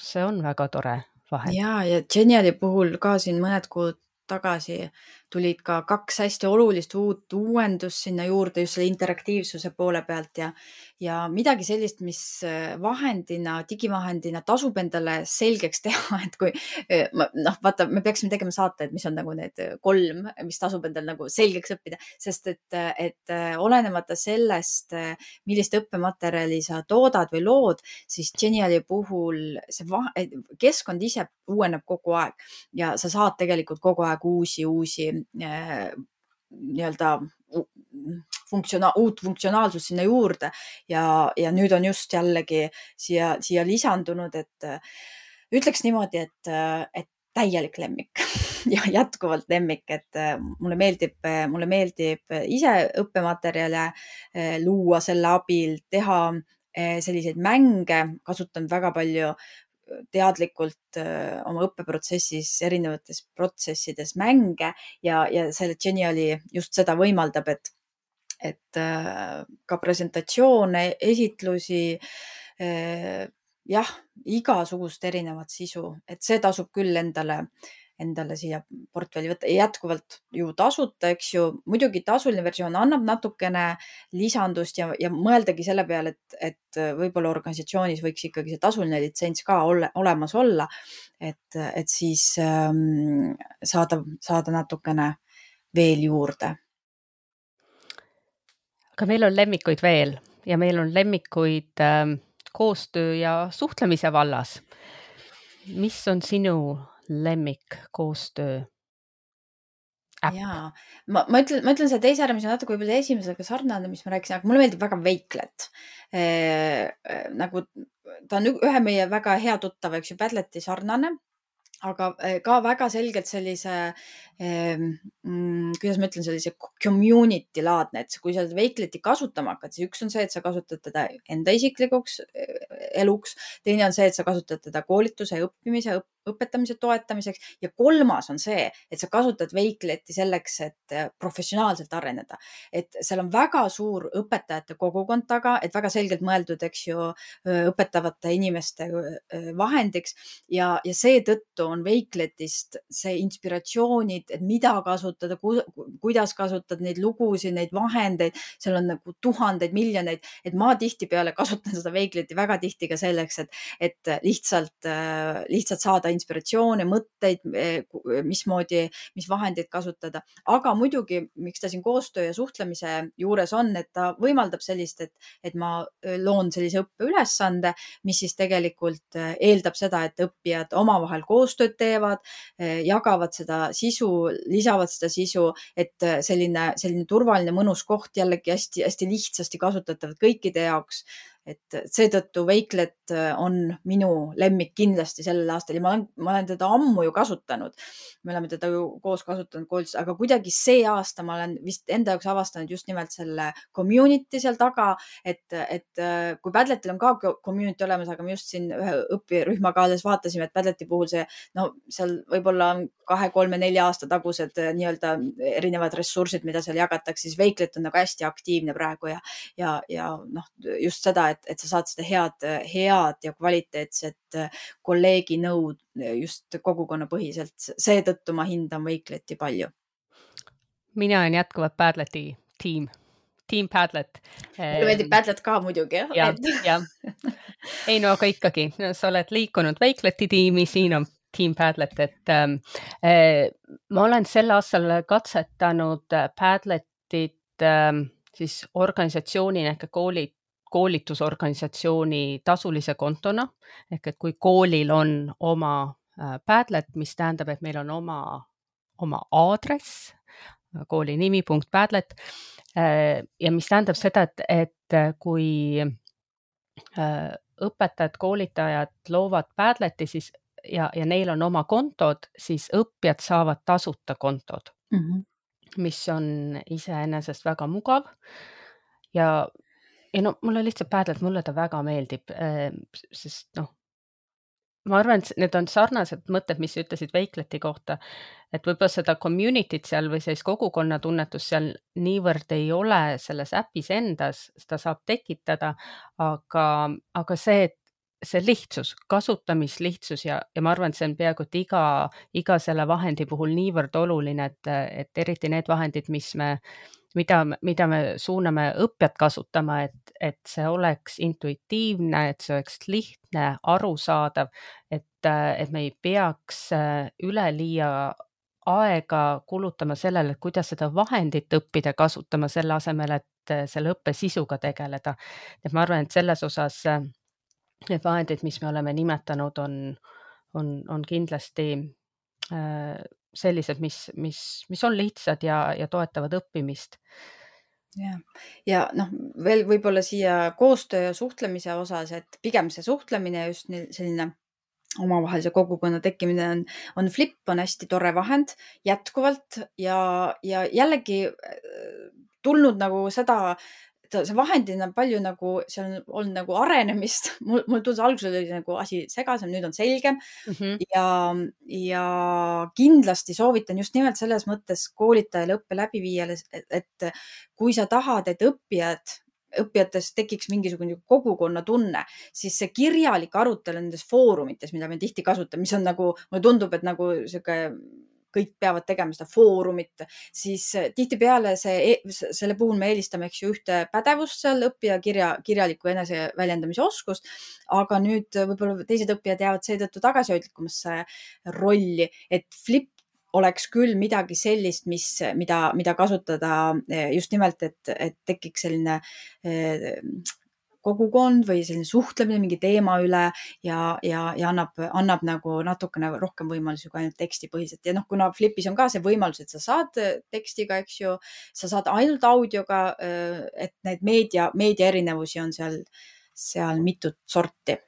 see on väga tore vahel. Ja Geniali puhul ka siin mõned kuud tagasi tulid ka 2 hästi olulist uut uuendust sinna juurde just selle interaktiivsuse poole pealt ja midagi sellist, mis digivahendina tasub endale selgeks teha, et kui vaata, me peaksime tegema saate, et mis on nagu need 3, mis tasub endal nagu selgeks õppida, sest et olenemata sellest, millist õppematerjali sa toodad või lood, siis Geniali puhul see keskkond ise uueneb kogu aeg ja sa saad tegelikult kogu aeg uusi nii-öelda uut funktsionaalsust sinna juurde ja nüüd on just jällegi siia lisandunud, et ütleks niimoodi, et täielik lemmik ja jätkuvalt lemmik, et mulle meeldib ise õppematerjale luua selle abil, teha selliseid mänge, kasutan väga palju teadlikult oma õppeprotsessis, erinevates protsessides mänge ja selle Geniali just seda võimaldab, et ka presentatsioone, esitlusi, igasugust erinevat sisu, et see tasub küll endale siia portfelli võtta. Jätkuvalt ju tasuta, eks ju. Muidugi tasuline versioon annab natukene lisandust ja mõeldagi selle peale, et võib-olla organisatsioonis võiks ikkagi see tasuline litsents ka olemas olla, et siis saada natukene veel juurde. Aga meil on lemmikuid veel ja meil on lemmikuid koostöö ja suhtlemise vallas. Mis on sinu lemmik koostöö äpp? Jaa, ma ütlen selle teise ära, mis on natuke võib-olla esimesega sarnane, mis ma rääkisin, aga mulle meeldib väga Wakelet. Nagu ta on ühe meie väga hea tuttava, eks ju, Padleti sarnane, aga ka väga selgelt sellise, kuidas ma ütlen, sellise community laadne, et kui sa Wakeleti kasutama hakkad, siis üks on see, et sa kasutad teda enda isiklikuks eluks. Teine on see, et sa kasutad teda koolituse, õppimise, õpetamise toetamiseks ja kolmas on see, et sa kasutad Wakeleti selleks, et professionaalselt areneda. Et seal on väga suur õpetajate kogukond taga, et väga selgelt mõeldud, eks ju, õpetavate inimeste vahendiks ja seetõttu on Wakeletist see inspiratsioonid, et mida kasutada, kuidas kasutada neid lugusid, neid vahendeid, seal on nagu tuhandeid, miljoneid, et ma tihtipeale kasutan seda Wakeleti väga tihti ka selleks, et lihtsalt saada inspiratsioone, mõtteid, mis vahendeid kasutada. Aga muidugi, miks ta siin koostöö ja suhtlemise juures on, et ta võimaldab sellist, et ma loon sellise õppeülesande, mis siis tegelikult eeldab seda, et õppijad omavahel koostööd teevad, jagavad seda sisu, lisavad seda sisu, et selline turvaline, mõnus koht jällegi hästi lihtsasti kasutatav kõikide jaoks. Et seetõttu Wakelet on minu lemmik kindlasti sellel aastal ja ma olen teda ammu ju kasutanud. Me oleme teda ju koos kasutanud koolitus, aga kuidagi see aasta ma olen vist enda jaoks avastanud just nimelt selle community seal taga, et kui Padletil on ka community olemas, aga me just siin ühe õpirühmaga alles vaatasime, et Padleti puhul seal võib-olla 2, 3, 4 aasta tagused nii-öelda erinevad ressursid, mida seal jagatakse, siis Wakelet on nagu hästi aktiivne praegu ja just seda, et sa saad seda head ja kvaliteetset kolleegi nõud just kogukonnapõhiselt. Seetõttu ma hindan Wakeleti palju. Mina olen jätkuvalt Padleti Team Padlet. Mulle meeldib Padlet ka muidugi. Ja. Ei no aga ikkagi, sa oled liikunud Wakeleti tiimi, siin on Team Padlet, et ma olen sel aastal katsetanud Padletit siis organisatsioonina ehk koolitusorganisatsiooni tasulise kontona, ehk et kui koolil on oma Padlet, mis tähendab, et meil on oma aadress, kooli nimi.padlet ja mis tähendab seda, et kui õpetajad, koolitajad loovad Padleti siis ja neil on oma kontod, siis õppijad saavad tasuta kontod, mis on iseenesest väga mugav ja mulle lihtsalt Padlet, mulle ta väga meeldib, sest ma arvan, et need on sarnased mõtted, mis sa ütlesid Wakeleti kohta, et võib-olla seda community't seal või sellist kogukonna tunnetust seal niivõrd ei ole selles äpis endas, seda saab tekitada, aga see, et see lihtsus, kasutamislihtsus ja ma arvan, et see on peaaegu et iga selle vahendi puhul niivõrd oluline, et eriti need vahendid, mida me suuname õppijat kasutama, et see oleks intuitiivne, et see oleks lihtne, arusaadav, et me ei peaks üleliia aega kulutama sellele, et kuidas seda vahendit õppida kasutama, selle asemel, et selle õppe sisuga tegeleda. Et ma arvan, et selles osas need vahendid, mis me oleme nimetanud, on kindlasti sellised, mis on lihtsad ja toetavad õppimist. Ja noh, veel võib-olla siia koostöö ja suhtlemise osas, et pigem see suhtlemine just selline omavahelise kogukonna tekkimine on Flip on hästi tore vahend jätkuvalt ja jällegi tulnud nagu seda, see vahendina palju nagu, seal on olnud nagu arenemist. Mul tundus alguses oli nagu asi segasem, nüüd on selgem. Ja kindlasti soovitan just nimelt selles mõttes koolitajale, õppe läbiviijale, et kui sa tahad, et õppijatest tekiks mingisugune kogukonna tunne, siis see kirjalik arutelu nendes foorumites, mida me tihti kasutame, mis on nagu, mulle tundub, et nagu sihuke kõik peavad tegema seda foorumit, siis tihtipeale selle puhul me eelistame ühte pädevust seal, õppija kirjaliku eneseväljendamise oskust, aga nüüd võib-olla teised õppijad jäävad seetõttu tagasihoidlikumasse rolli, et Flip oleks küll midagi sellist, mida kasutada just nimelt, et tekiks selline kogukond või selline suhtlemine mingi teema üle ja annab nagu natukene rohkem võimalusi kui ainult tekstipõhiselt. Ja kuna Flipis on ka see võimalus, et sa saad tekstiga, eks ju, sa saad ainult audioga, et need meedia erinevusi on seal mitut sorti.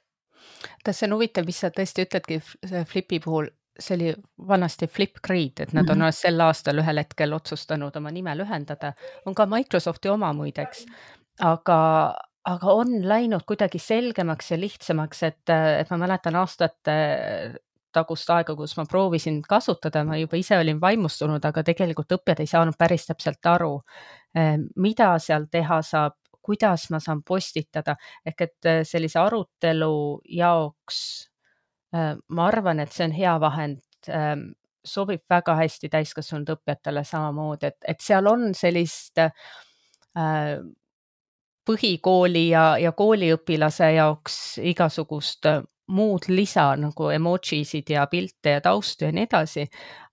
See on huvitav, mis sa tõesti ütledki Flipi puhul, see oli vanasti Flipgrid, et nad on sel aastal ühel hetkel otsustanud oma nime lühendada. On ka Microsofti oma muideks, aga on läinud kuidagi selgemaks ja lihtsamaks, et ma mäletan aastate tagust aega, kus ma proovisin kasutada, ma juba ise olin vaimustunud, aga tegelikult õppijad ei saanud päris täpselt aru, mida seal teha saab, kuidas ma saan postitada, ehk et sellise arutelu jaoks ma arvan, et see on hea vahend, sobib väga hästi täiskasvanud õppijatele samamoodi, et seal on sellist põhikooli ja kooliõpilase jaoks igasugust muud lisa nagu emojisid ja pilte ja taustu ja nii edasi,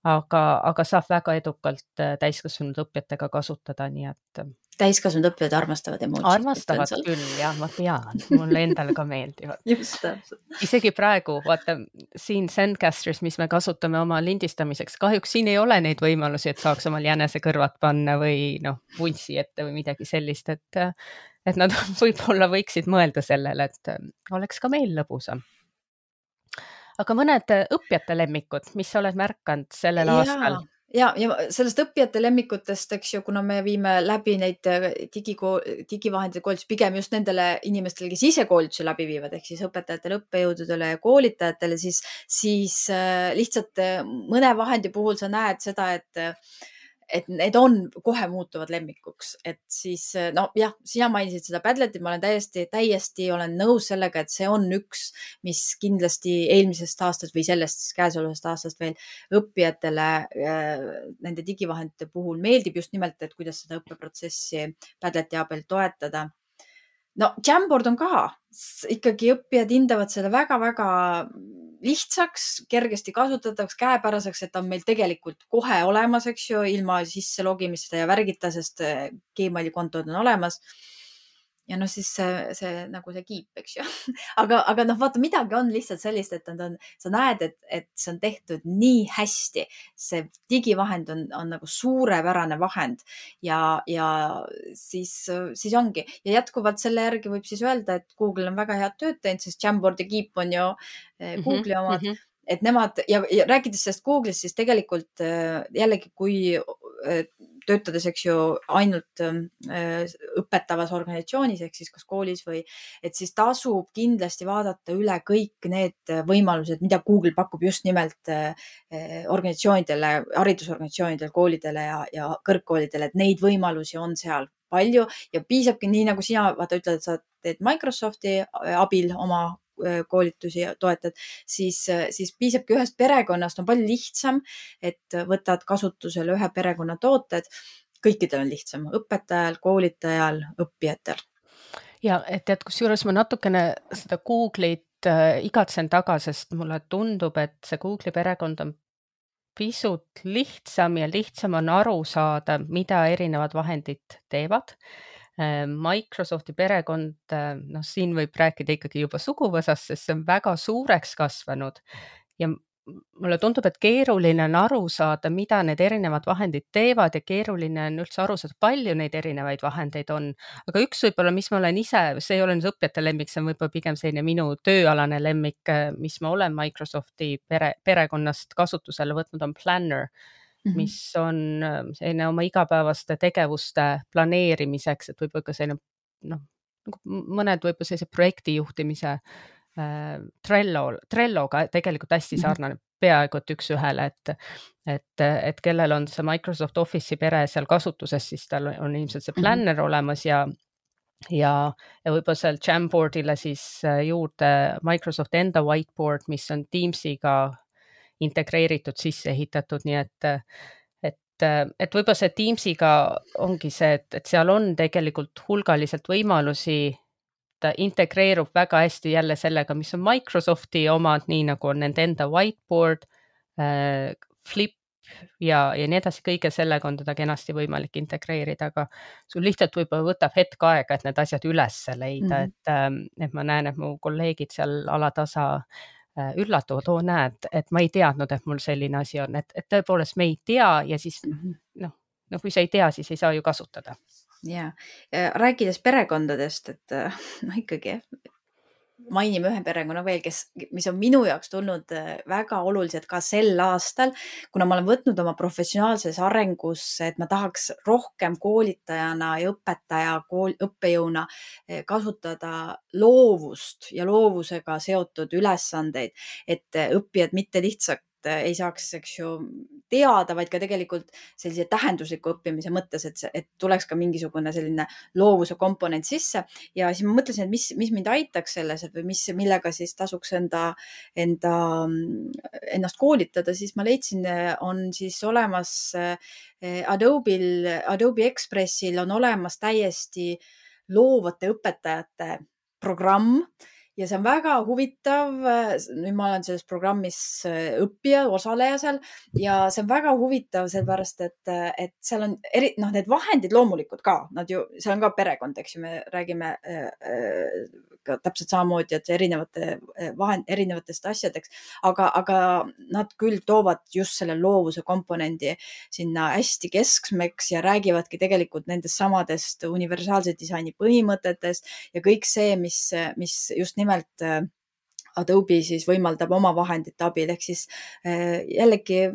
aga saab väga edukalt täiskasvanud õppijatega kasutada, nii et täiskasvanud õppijad armastavad emojisid. Armastavad küll, jah, ma tean, mulle endale ka meeldivad. Just täpselt. Isegi praegu, vaata, siin Zencasteris, mis me kasutame oma lindistamiseks, kahjuks siin ei ole neid võimalusi, et saaks omal jänesekõrvad panna või vuntsi ette või midagi sellist, et nad võib-olla võiksid mõelda sellele, et oleks ka meil lõbusam. Aga mõned õppijate lemmikud, mis sa oled märkanud sellel aastal? Ja sellest õppijate lemmikutest, eks ju, kuna me viime läbi neid digivahendite koolitus pigem just nendele inimestele, kes ise koolitusi läbi viivad, ehk siis õpetajatele, õppejõududele ja koolitajatele, siis lihtsalt mõne vahendi puhul sa näed seda, et need on kohe muutuvad lemmikuks, et siis jah, sina mainisid seda Padletit, ma olen täiesti olen nõus sellega, et see on üks, mis kindlasti eelmisest aastast või sellest käesolevast aastast veel õppijatele nende digivahendite puhul meeldib just nimelt, et kuidas seda õppeprotsessi Padleti abil toetada. Jamboard on ka, ikkagi õppijad hindavad selle väga-väga lihtsaks, kergesti kasutatavaks, käepäraseks, et on meil tegelikult kohe olemas, eks ju, ilma sisse logimista ja värgita, sest Gmaili kontod on olemas. Ja siis see nagu see kiip, eks ju. Aga vaata, midagi on lihtsalt sellist, et sa näed, et see on tehtud nii hästi. See digivahend on nagu suurepärane vahend ja siis ongi. Ja jätkuvalt selle järgi võib siis öelda, et Google on väga head tööd teinud, sest Jamboard ja Keep on ju Google'i omad. Et nemad ja rääkides sellest Google'ist, siis tegelikult jällegi, kui töötades, eks ju, ainult õpetavas organisatsioonis, ehk siis kas koolis või, et siis tasub kindlasti vaadata üle kõik need võimalused, mida Google pakub just nimelt organisatsioonidele, haridusorganisatsioonidele, koolidele ja kõrgkoolidele, et neid võimalusi on seal palju ja piisabki nii, nagu sina ütled, et sa teed Microsofti abil oma koolitusi toetad, siis piisabki ühest perekonnast, on palju lihtsam, et võtad kasutusele ühe perekonna tooted. Kõikidel on lihtsam, õpetajal, koolitajal, õppijatel. Ja et kusjuures ma natukene seda Google'it igatsen taga, sest mulle tundub, et see Google'i perekond on pisut lihtsam ja lihtsam on aru saada, mida erinevad vahendid teevad. Microsofti perekond, siin võib rääkida ikkagi juba suguvõsast, sest see on väga suureks kasvanud ja mulle tundub, et keeruline on aru saada, mida need erinevad vahendid teevad ja keeruline on üldse aru saada, palju neid erinevaid vahendeid on. Aga üks võib-olla, mis ma olen ise, see ei ole nüüd õppijate lemmik, see on võib-olla pigem selline minu tööalane lemmik, mis ma olen Microsofti perekonnast kasutusele võtnud, on Planner, mis on selline oma igapäevaste tegevuste planeerimiseks, et võib-olla ka selline, mõned võib-olla sellise projekti juhtimise Trelloga tegelikult hästi sarnane, peaaegu et üks ühele, et kellel on see Microsoft Office'i pere seal kasutuses, siis tal on ilmselt see Planner olemas ja võib-olla seal Jamboardile siis juurde Microsoft enda whiteboard, mis on Teamsiga integreeritud, sisse ehitatud, nii et võib-olla see Teamsiga ongi see, et seal on tegelikult hulgaliselt võimalusi, ta integreerub väga hästi jälle sellega, mis on Microsofti omad, nii nagu on nende enda whiteboard, Flip ja nii edasi, kõige sellega on teda kenasti võimalik integreerida, aga sul lihtsalt võib-olla võtab hetk aega, et need asjad üles leida, et ma näen, et mu kolleegid seal alatasa üllatuvad, näed, et ma ei teadnud, et mul selline asi on, et tõepoolest me ei tea ja siis kui sa ei tea, siis ei saa ju kasutada. Ja rääkides perekondadest, et ikkagi mainime ühe perekonna veel, mis on minu jaoks tulnud väga oluliselt ka sel aastal, kuna ma olen võtnud oma professionaalses arengus, et ma tahaks rohkem koolitajana ja õppejõuna kasutada loovust ja loovusega seotud ülesandeid, et õppijad mitte lihtsalt ei saaks, eks ju, teada, vaid ka tegelikult sellise tähendusliku õppimise mõttes, et tuleks ka mingisugune selline loovuse komponent sisse. Ja siis ma mõtlesin, et mis mind aitaks selles või millega siis tasuks ennast koolitada, siis ma leidsin, on siis olemas Adobe Expressil on olemas täiesti loovate õpetajate programm. Ja see on väga huvitav, nüüd ma olen selles programmis õppija, osaleja seal ja see on väga huvitav, sellepärast, et seal on need vahendid loomulikult ka, seal on ka perekond, eks ju, me räägime ka täpselt samamoodi, et erinevatest asjadeks, aga nad küll toovad just selle loovuse komponendi sinna hästi keskmeks ja räägivadki tegelikult nendest samadest universaalse disaini põhimõtetest ja kõik see, mis just nimelt Adobe siis võimaldab oma vahendite abil, ehk siis jällegi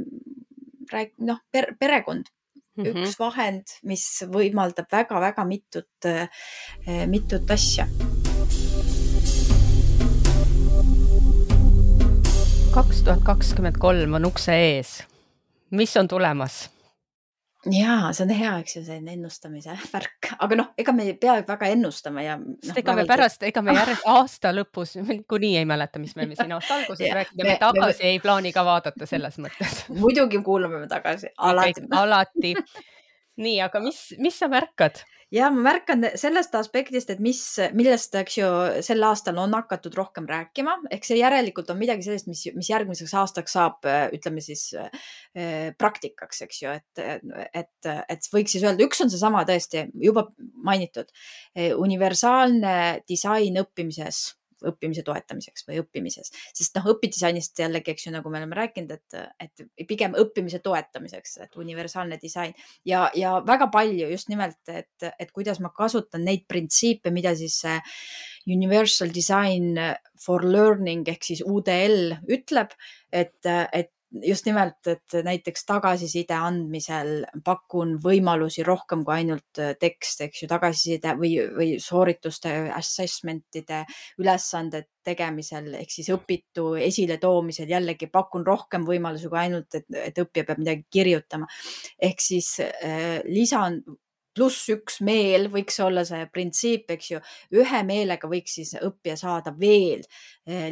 perekond, üks vahend, mis võimaldab väga-väga mitut asja. 2023 on ukse ees. Mis on tulemas? Jaa, see on hea, eks ju, see ennustamise värk, aga ega me peab väga ennustama ja ega me aasta lõpus kuni ei mäleta, mis me siin aasta alguses rääkida, me tagasi ei plaani ka vaadata selles mõttes. Muidugi kuulame me tagasi, alati. Nii, aga mis sa märkad? Ja ma märkan sellest aspektist, et millest, eks ju, sel aastal on hakatud rohkem rääkima, ehk see järelikult on midagi sellist, mis järgmiseks aastaks saab, ütleme siis, praktikaks, eks ju, et võiks siis öelda, üks on see sama tõesti juba mainitud, universaalne disain õppimise toetamiseks või õppimises, sest õpidisainist jällegi, eks ju, nagu me oleme rääkinud, et pigem õppimise toetamiseks, et universaalne disain ja väga palju just nimelt, et kuidas ma kasutan neid printsiipe, mida siis Universal Design for Learning ehk siis UDL ütleb, et just nimelt, et näiteks tagasiside andmisel pakun võimalusi rohkem kui ainult tekst, eks ju, tagasiside või soorituste assessmentide ülesanded tegemisel, ehk siis õpitu esile toomisel jällegi pakun rohkem võimalusi kui ainult, et õppija peab midagi kirjutama. Ehk siis lisan +1 meel võiks olla see printsiip, eks ju. Ühe meelega võiks siis õppija saada veel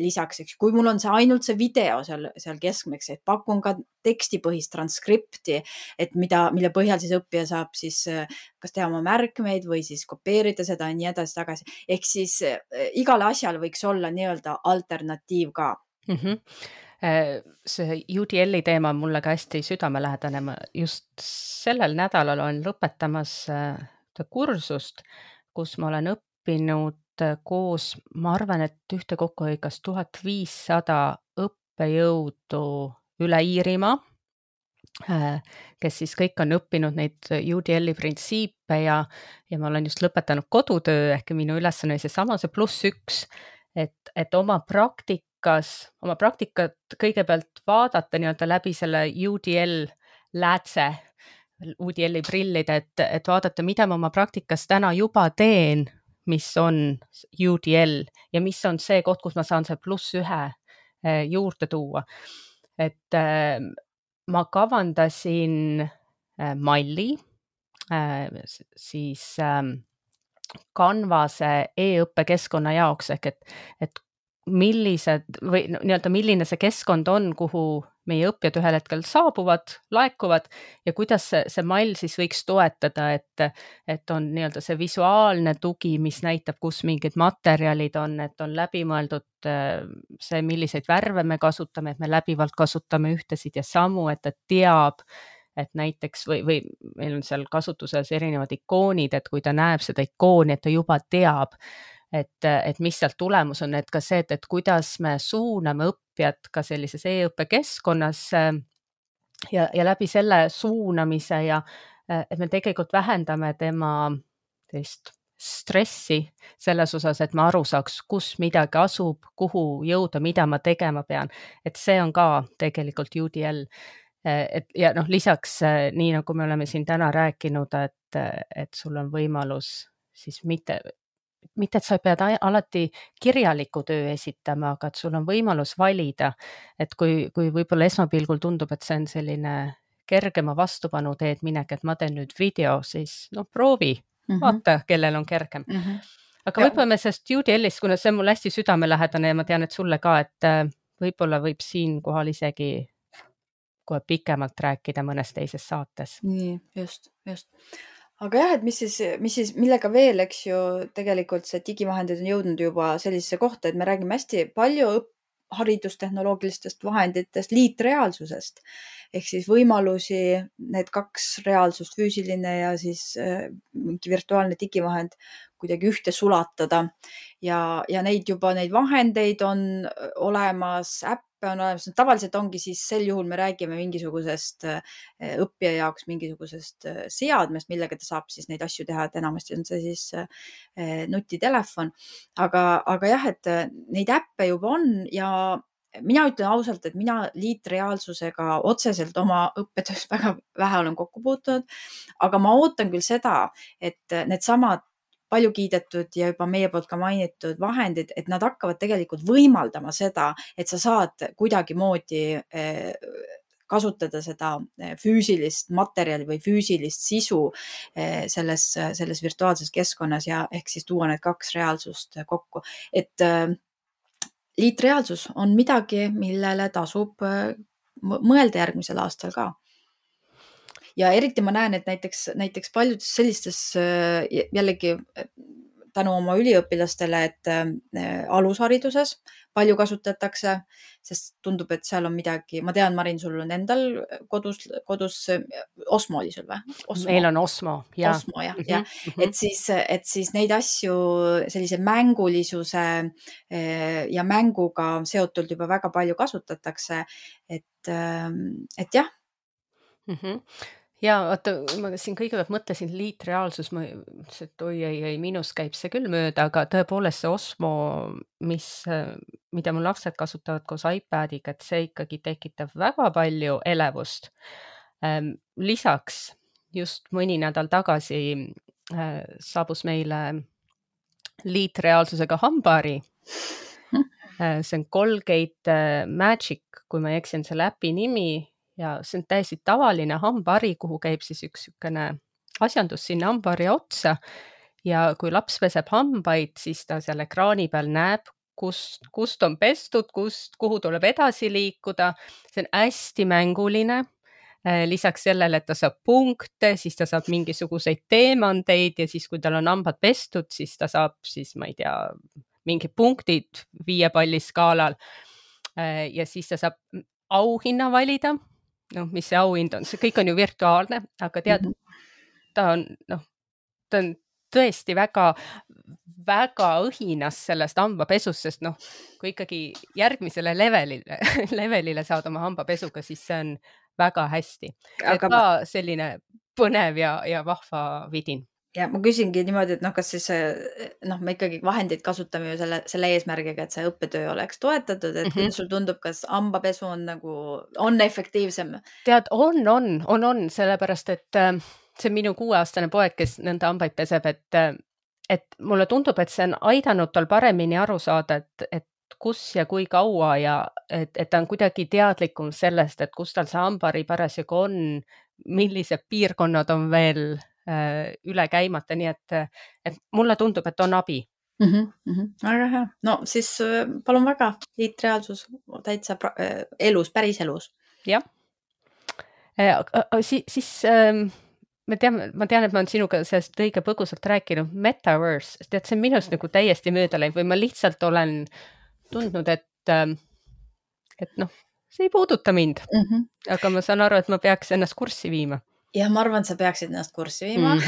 lisaks, eks. Kui mul on see ainult see video seal keskmeks, et pakun ka tekstipõhist transkripti, et mille põhjal siis õppija saab siis kas teha oma märkmeid või siis kopeerida seda ja nii edasi tagasi. Ehk siis igale asjale võiks olla nii-öelda alternatiiv ka. See UDL-i teema on mulle ka hästi südamelähedane. Ma just sellel nädalal olen lõpetamas kursust, kus ma olen õppinud koos, ma arvan, et ühtekokku oli kas 1500 õppejõudu üle Iirimaa, kes siis kõik on õppinud neid UDL-i printsiipe ja ma olen just lõpetanud kodutöö, ehk minu ülesanne oli seesama, see +1, et oma praktikat kõigepealt vaadata nii-öelda läbi selle UDL läätse, UDL-i prillide, et vaadata, mida ma oma praktikas täna juba teen, mis on UDL ja mis on see koht, kus ma saan see +1 juurde tuua. Et ma kavandasin malli siis Canvase e-õppekeskkonna jaoks, ehk et millised või nii-öelda milline see keskkond on, kuhu meie õppijad ühel hetkel saabuvad, laekuvad ja kuidas see mall siis võiks toetada, et on nii-öelda see visuaalne tugi, mis näitab, kus mingid materjalid on, et on läbimõeldud see, milliseid värve me kasutame, et me läbivalt kasutame ühtesid ja samu, et teab, et näiteks või meil on seal kasutuses erinevad ikoonid, et kui ta näeb seda ikooni, et ta juba teab, et mis sealt tulemus on, et ka see, et kuidas me suuname õppijat ka sellises e-õppekeskkonnas ja läbi selle suunamise ja et me tegelikult vähendame tema sellist stressi selles osas, et ma aru saaks, kus midagi asub, kuhu jõuda, mida ma tegema pean, et see on ka tegelikult UDL. Ja lisaks nii nagu me oleme siin täna rääkinud, et sul on võimalus siis mitte, et sa pead alati kirjaliku töö esitama, aga et sul on võimalus valida, et kui võib-olla esmapilgul tundub, et see on selline kergema vastupanu teed minek, et ma teen nüüd video, siis proovi, vaata, kellel on kergem. Aga võib-olla me sellest UDL-ist, kuna see on mul hästi südamelähedane ja ma tean, et sulle ka, et võib-olla võib siin kohal isegi kohe pikemalt rääkida mõnes teises saates. Nii, just. Aga jah, et mis siis, millega veel, eks ju, tegelikult see digivahendid on jõudnud juba sellisesse kohta, et me räägime hästi palju haridustehnoloogilistest vahenditest, liitreaalsusest, ehk siis võimalusi need 2 reaalsust, füüsiline ja siis mingi virtuaalne digivahend kuidagi ühte sulatada ja neid vahendeid on olemas, äppe on olemas. Tavaliselt ongi siis sel juhul me räägime mingisugusest õppija jaoks mingisugusest seadmest, millega ta saab siis neid asju teha, et enamasti on see siis nutitelefon. Aga jah, et neid äppe juba on ja mina ütlen ausalt, et mina liitreaalsusega otseselt oma õppetöös väga vähe olen kokku puutunud, aga ma ootan küll seda, et needsamad palju kiidetud ja juba meie poolt ka mainitud vahendid, et nad hakkavad tegelikult võimaldama seda, et sa saad kuidagimoodi kasutada seda füüsilist materjali või füüsilist sisu selles virtuaalses keskkonnas ja ehk siis tuua need 2 reaalsust kokku. Et liitreaalsus on midagi, millele tasub mõelda järgmisel aastal ka. Ja eriti ma näen, et näiteks paljudes sellistes jällegi tänu oma üliõpilastele, et alushariduses palju kasutatakse, sest tundub, et seal on midagi, ma tean, Marin, sul on endal kodus Osmo oli sul või? Meil on Osmo, jah. Osmo, jah. Et siis neid asju sellise mängulisuse ja mänguga seotult juba väga palju kasutatakse, et jah. Ja vaata, ma siin kõigepealt mõtlesin liitreaalsus, ma ütlesin, et oi, minus käib see küll mööda, aga tõepoolest see Osmo, mida mu lapsed kasutavad koos iPadiga, et see ikkagi tekitab väga palju elevust. Lisaks just mõni nädal tagasi saabus meile liitreaalsusega hambari. See on Colgate Magic, kui ma eksin selle äpi nimi. Ja see on täiesti tavaline hambari, kuhu käib siis üks sükene asjandus sinna hambaharja otsa ja kui laps peseb hambaid, siis ta seal ekraani peal näeb, kust on pestud, kuhu tuleb edasi liikuda. See on hästi mänguline. Lisaks sellele, et ta saab punkte, siis ta saab mingisuguseid teemandeid ja siis, kui tal on hambad pestud, siis ta saab siis, ma ei tea, mingid punktid 5 palli skaalal. Ja siis ta saab auhinna valida. Noh, mis see auhind on? See kõik on ju virtuaalne, aga tead, ta on tõesti väga õhinas sellest hambapesust, sest noh, kui ikkagi järgmisele levelile saad oma hambapesuga, siis see on väga hästi. Aga ka selline põnev ja vahva vidin. Ja ma küsingi niimoodi, et kas siis me ikkagi vahendeid kasutame ju selle eesmärgiga, et see õppetöö oleks toetatud, et kuidas sul tundub, kas hambapesu on efektiivsem? Tead, on, sellepärast, et see on minu 6-aastane poeg, kes nõnda hambaid peseb, et mulle tundub, et see on aidanud tal paremini aru saada, et kus ja kui kaua ja et ta on kuidagi teadlikum sellest, et kus tal see hambahari parasjagu on, millised piirkonnad on veel üle käimata, nii et mulle tundub, et on abi. Väga hea. No siis palun väga, liitreaalsus täitsa elus, päris elus. Jah. Siis ma tean, et ma olen sinuga sellest õige põgusalt rääkinud, metaverse, tead, see on minust nagu täiesti mööda läinud või ma lihtsalt olen tundnud, et noh, see ei puuduta mind, aga ma saan aru, et ma peaks ennast kurssi viima. Ja ma arvan, sa peaksid ennast kurssi viima,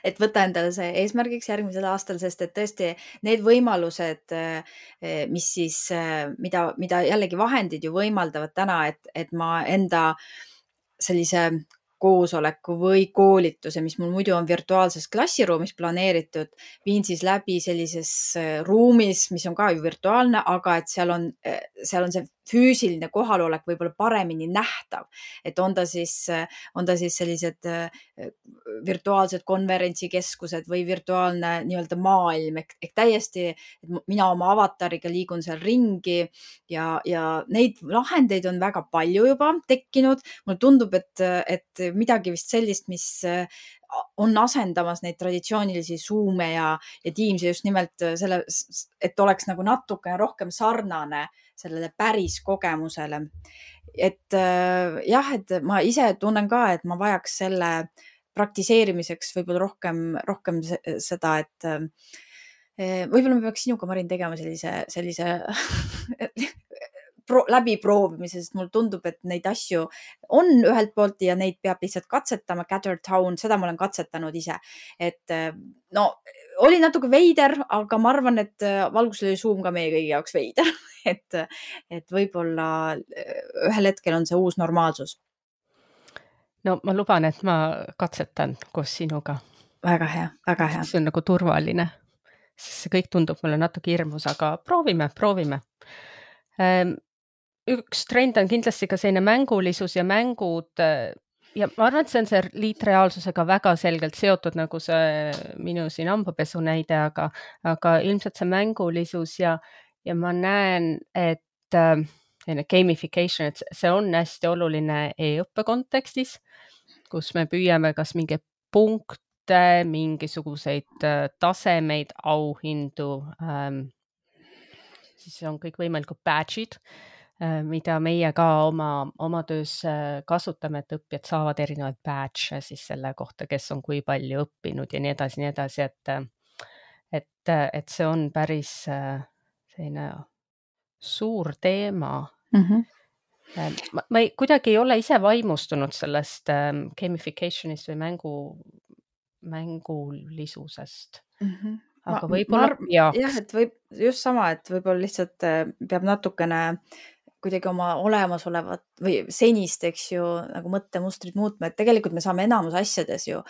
et võtta endale see eesmärgiks järgmisel aastal, sest et tõesti need võimalused, mis siis, mida jällegi vahendid ju võimaldavad täna, et ma enda sellise koosoleku või koolituse, mis mul muidu on virtuaalses klassiruumis planeeritud, viin siis läbi sellises ruumis, mis on ka ju virtuaalne, aga et seal on see füüsiline kohalolek võib-olla paremini nähtav, et on ta siis sellised virtuaalsed konverentsikeskused või virtuaalne nii-öelda maailm, ehk täiesti, et mina oma avatariga liigun seal ringi ja neid lahendeid on väga palju juba tekkinud. Mulle tundub, et midagi vist sellist, mis on asendamas neid traditsioonilisi Zoom'e ja Teams'e just nimelt selle, et oleks nagu natukene rohkem sarnane sellele päris kogemusele. Et jah, et ma ise tunnen ka, et ma vajaks selle praktiseerimiseks võib-olla rohkem seda, et võib-olla me peaks sinuga, Marin, tegema sellise läbiproovimise, sest mulle tundub, et neid asju on ühelt poolt ja neid peab lihtsalt katsetama. Gather Town, seda ma olen katsetanud ise. Et no, oli natuke veider, aga ma arvan, et valgusel oli Zoom ka meie kõigi jaoks veider. Et võib-olla ühel hetkel on see uus normaalsus. No ma luban, et ma katsetan koos sinuga. Väga hea, väga hea. See on nagu turvaline. See kõik tundub mulle natuke hirmus, aga proovime. Üks trend on kindlasti ka selline mängulisus ja mängud ja ma arvan, et see on see liitreaalsusega väga selgelt seotud, nagu see minu siin hambapesu näide, aga ilmselt see mängulisus ja ma näen, et gamification, et see on hästi oluline e-õppe kontekstis, kus me püüame kas mingeid punkte, mingisuguseid tasemeid, auhindu, siis on kõik võimalikud badge'id, mida meie ka oma töös kasutame, et õppijad saavad erinevaid badge siis selle kohta, kes on kui palju õppinud ja nii edasi, et see on päris selline suur teema. Ma kuidagi ei ole ise vaimustunud sellest gamificationist või mängulisusest. Aga võib-olla jah, et just sama, et võib-olla lihtsalt peab natukene kuidagi oma olemasolevat või senist, eks ju, nagu mõttemustrid muutma, et tegelikult me saame enamus asjades ju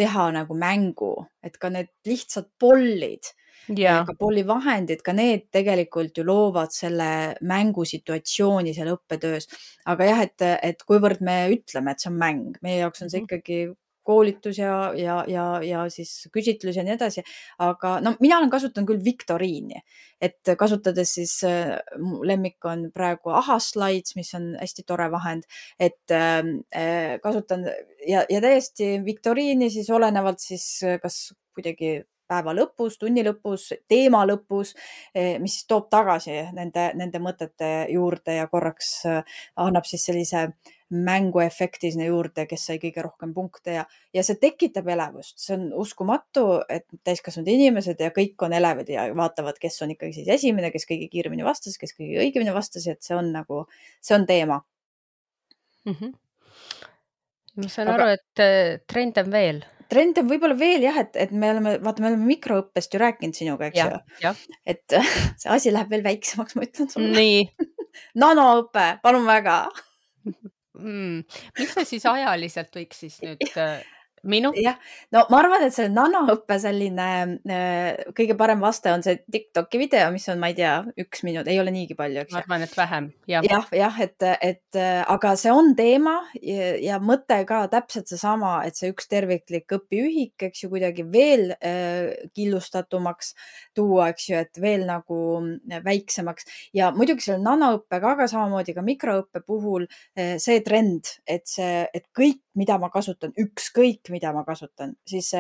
teha nagu mängu, et ka need lihtsalt pollid, ka pollivahendid, ka need tegelikult ju loovad selle mängusituatsiooni seal õppetöös. Aga jah, et kuivõrd me ütleme, et see on mäng, meie jaoks on see ikkagi koolitus ja siis küsitlus ja nii edasi. Aga no mina olen kasutanud küll Victoriini, et kasutades siis mu lemmik on praegu Ahaslides, mis on hästi tore vahend, et kasutan ja täiesti Victoriini siis olenevalt siis kas kuidagi päeva lõpus, tunni lõpus, teema lõpus, mis siis toob tagasi nende mõtete juurde ja korraks annab siis sellise mänguefekti sinna juurde, kes sai kõige rohkem punkte ja see tekitab elevust. See on uskumatu, et täiskasvanud inimesed ja kõik on elevad ja vaatavad, kes on ikkagi siis esimene, kes kõige kiiremini vastas, kes kõige õigemini vastas, et see on nagu, see on teema. Ma saan aru, et trend on veel. Trend on võib-olla veel jah, et me oleme mikroõppest ju rääkinud sinuga, eks ju. Et see asi läheb veel väiksemaks, ma ütlen sulle. Nii. Nanoõpe, palun väga. Mis see siis ajaliselt võiks siis nüüd minut? Jah, no ma arvan, et see nanoõppe selline kõige parem vaste on see TikToki video, mis on, ma ei tea, 1 minut, ei ole niigi palju, eks ju. Ma arvan, et vähem. Jah, et aga see on teema ja mõte ka täpselt seesama, et see üks terviklik õpiühik, eks ju, kuidagi veel killustatumaks tuua, eks ju, et veel nagu väiksemaks ja muidugi selle nanoõppega, aga samamoodi ka mikroõppe puhul see trend, et kõik, mida ma kasutan, ükskõik, mida ma kasutan, siis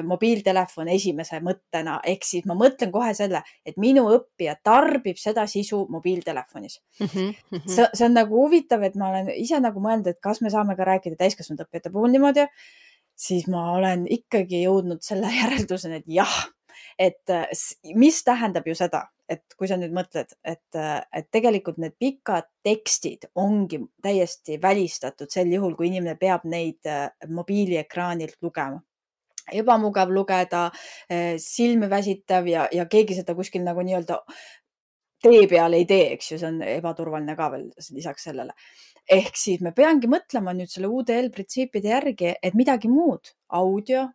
mobiiltelefon esimese mõttena, ehk siis ma mõtlen kohe selle, et minu õppija tarbib seda sisu mobiiltelefonis. See on nagu huvitav, et ma olen ise nagu mõelnud, et kas me saame ka rääkida täiskasvanud õppijate puhul niimoodi, siis ma olen ikkagi jõudnud selle järelduseni, et jah, et mis tähendab ju seda, et kui sa nüüd mõtled, et tegelikult need pikad tekstid ongi täiesti välistatud sel juhul, kui inimene peab neid mobiiliekraanilt lugema. Ebamugav lugeda, silmi väsitav ja keegi seda kuskil nagu nii-öelda tee peal ei tee, eks ju, see on ebaturvaline ka veel lisaks sellele. Ehk siis me peangi mõtlema nüüd selle UDL printsiipide järgi, et midagi muud, audio,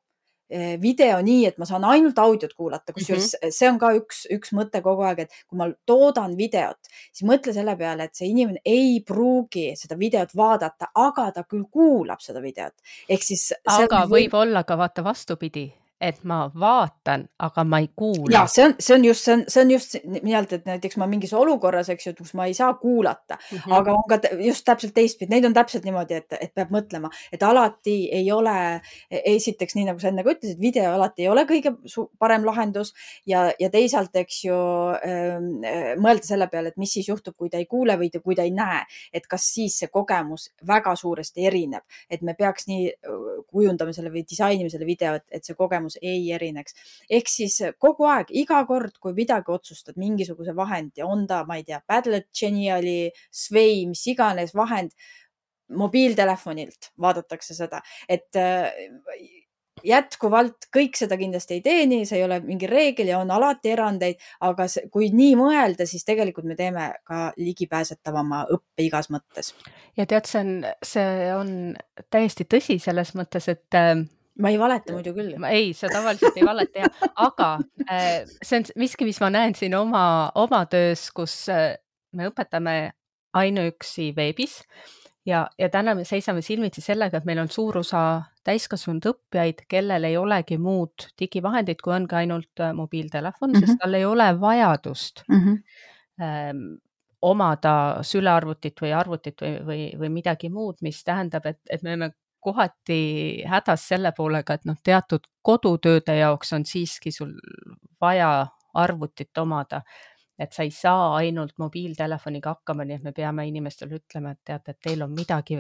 video nii, et ma saan ainult audiot kuulata, kusjuures see on ka üks mõte kogu aeg, et kui ma toodan videot, siis mõtle selle peale, et see inimene ei pruugi seda videot vaadata, aga ta küll kuulab seda videot. Ehk siis aga võib olla ka vaata vastupidi, et ma vaatan, aga ma ei kuula. Ja see on just nii-öelda, et näiteks ma mingis olukorras, eks ju, kus ma ei saa kuulata, aga on ka just täpselt teistpidi. Neid on täpselt niimoodi, et peab mõtlema, et alati ei ole, esiteks nii nagu sa enne ka ütlesid, video alati ei ole kõige parem lahendus ja teisalt, eks ju, mõelda selle peale, et mis siis juhtub, kui ta ei kuule või kui ta ei näe, et kas siis see kogemus väga suuresti erineb, et me peaks nii kujundama selle või disainima selle video, et see kogemus ei erineks. Ehk siis kogu aeg, iga kord, kui midagi otsustad, mingisuguse vahendi, on ta, ma ei tea, Padlet, Geniali, Sway, mis iganes vahend, mobiiltelefonilt vaadatakse seda, et jätkuvalt kõik seda kindlasti ei teeni, see ei ole mingi reegel ja on alati erandeid, aga kui nii mõelda, siis tegelikult me teeme ka ligipääsetavama õppe igas mõttes. Ja tead, see on täiesti tõsi selles mõttes, et ma ei valeta muidu küll. Ei, sa tavaliselt ei valeta, aga see on miski, mis ma näen siin oma töös, kus me õpetame ainuüksi veebis ja täna me seisame silmitsi sellega, et meil on suur osa täiskasvanud õppijaid, kellel ei olegi muud digivahendit, kui ongi ainult mobiiltelefon, sest tal ei ole vajadust omada sülearvutit või arvutit või midagi muud, mis tähendab, et me oleme kohati hädas selle poolega, et teatud kodutööde jaoks on siiski sul vaja arvutit omada, et sa ei saa ainult mobiiltelefoniga hakkama, nii et me peame inimestele ütlema, et teate, et teil on midagi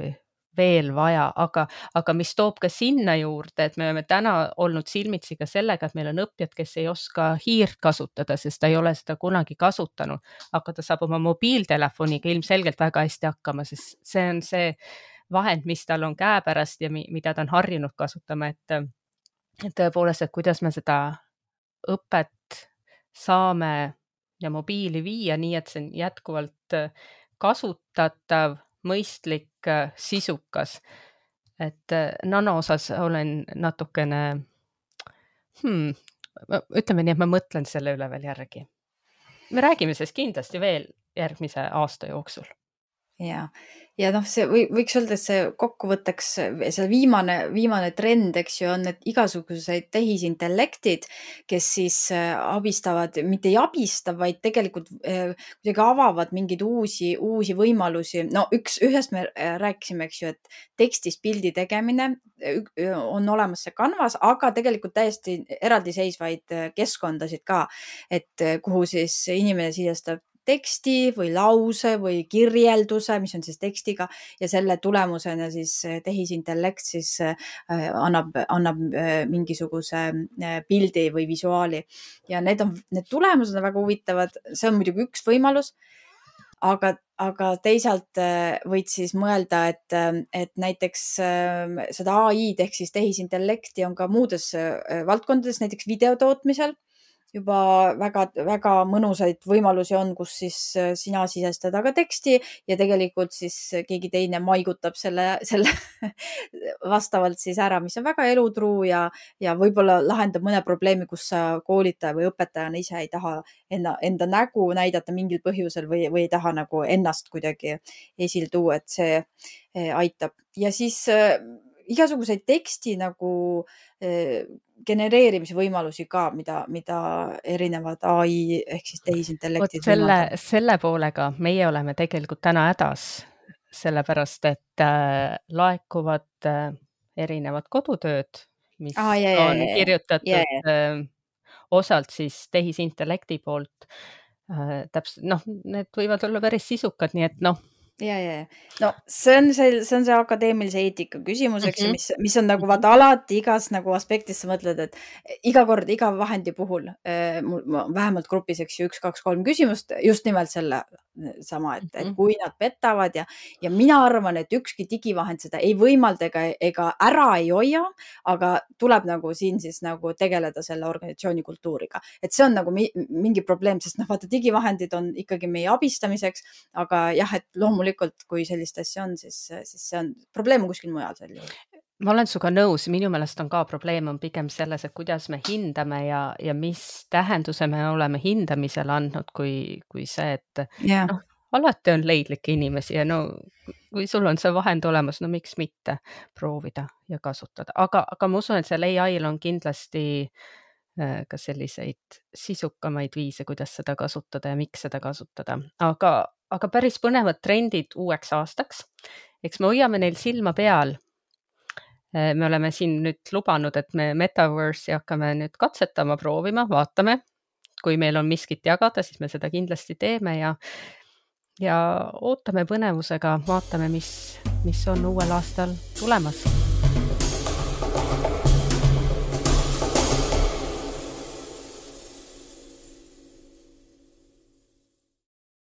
veel vaja, aga mis toob ka sinna juurde, et me oleme täna olnud silmitsi ka sellega, et meil on õppijad, kes ei oska hiirt kasutada, sest ta ei ole seda kunagi kasutanud, aga ta saab oma mobiiltelefoniga ilmselgelt väga hästi hakkama, sest see on see vahend, mis tal on käepärast ja mida ta on harjunud kasutama, et tõepoolest, et kuidas me seda õpet saame ja mobiili viia nii, et see on jätkuvalt kasutatav, mõistlik, sisukas. Et nano osas olen natukene, ütleme nii, et ma mõtlen selle üle veel järgi. Me räägime sellest kindlasti veel järgmise aasta jooksul. ja noh, see võiks öelda, et see kokkuvõtteks see viimane trend, eks ju, on need igasugused tehisintellektid, kes siis abistavad, mitte ei abista, vaid tegelikult kuidagi avavad mingeid uusi võimalusi. No ühest me rääkisime, eks ju, et tekstist pildi tegemine on olemas see Canvas, aga tegelikult täiesti eraldiseisvaid keskkondasid ka, et kuhu siis inimene sisestab teksti või lause või kirjelduse, mis on siis tekstiga ja selle tulemusena siis tehisintellekt siis annab mingisuguse pildi või visuaali. Ja need tulemused on väga huvitavad. See on muidugi üks võimalus, aga teisalt võid siis mõelda, et näiteks seda AI-d ehk siis tehisintellekti on ka muudes valdkondades, näiteks videotootmisel. Juba väga mõnusaid võimalusi on, kus siis sina sisestad aga teksti ja tegelikult siis keegi teine maigutab selle vastavalt siis ära, mis on väga elutruu ja võib-olla lahendab mõne probleemi, kus sa koolitaja või õpetajana ise ei taha enda nägu näidata mingil põhjusel või ei taha nagu ennast kuidagi esil tuua, et see aitab. Ja siis igasuguseid teksti nagu genereerimise võimalusi ka, mida erinevad AI ehk siis tehisintellektid võimaldavad. Selle poolega meie oleme tegelikult täna hädas, sellepärast et laekuvad erinevad kodutööd, mis on kirjutatud osalt siis tehisintellekti poolt. Need võivad olla päris sisukad, nii et Ja. No see on see akadeemilise eetika küsimus, eks ju, mis on nagu vaata alati igas nagu aspektis sa mõtled, et iga kord, iga vahendi puhul vähemalt grupis, eks ju, 1, 2, 3 küsimust just nimelt selle sama, et kui nad petavad ja mina arvan, et ükski digivahend seda ei võimalda ega ära ei hoia, aga tuleb nagu siin siis nagu tegeleda selle organisatsiooni kultuuriga. Et see on nagu mingi probleem, sest vaata digivahendid on ikkagi meie abistamiseks, aga jah, et loomulikult, kui sellist asja on, siis see on probleem kuskil mujal sel juhul. Ma olen suga nõus, minu meelest on ka probleem on pigem selles, et kuidas me hindame ja mis tähenduse me oleme hindamisele andnud, kui see, et alati on leidlikke inimesi ja kui sul on see vahend olemas, miks mitte proovida ja kasutada. Aga ma usun, et seal AI-l on kindlasti ka selliseid sisukamaid viise, kuidas seda kasutada ja miks seda kasutada. Aga päris põnevad trendid uueks aastaks. Eks me hoiame neil silma peal. Me oleme siin nüüd lubanud, et me Metaverse'i hakkame nüüd katsetama, proovima, vaatame. Kui meil on miskit jagada, siis me seda kindlasti teeme ja ootame põnevusega, vaatame, mis on uuel aastal tulemas.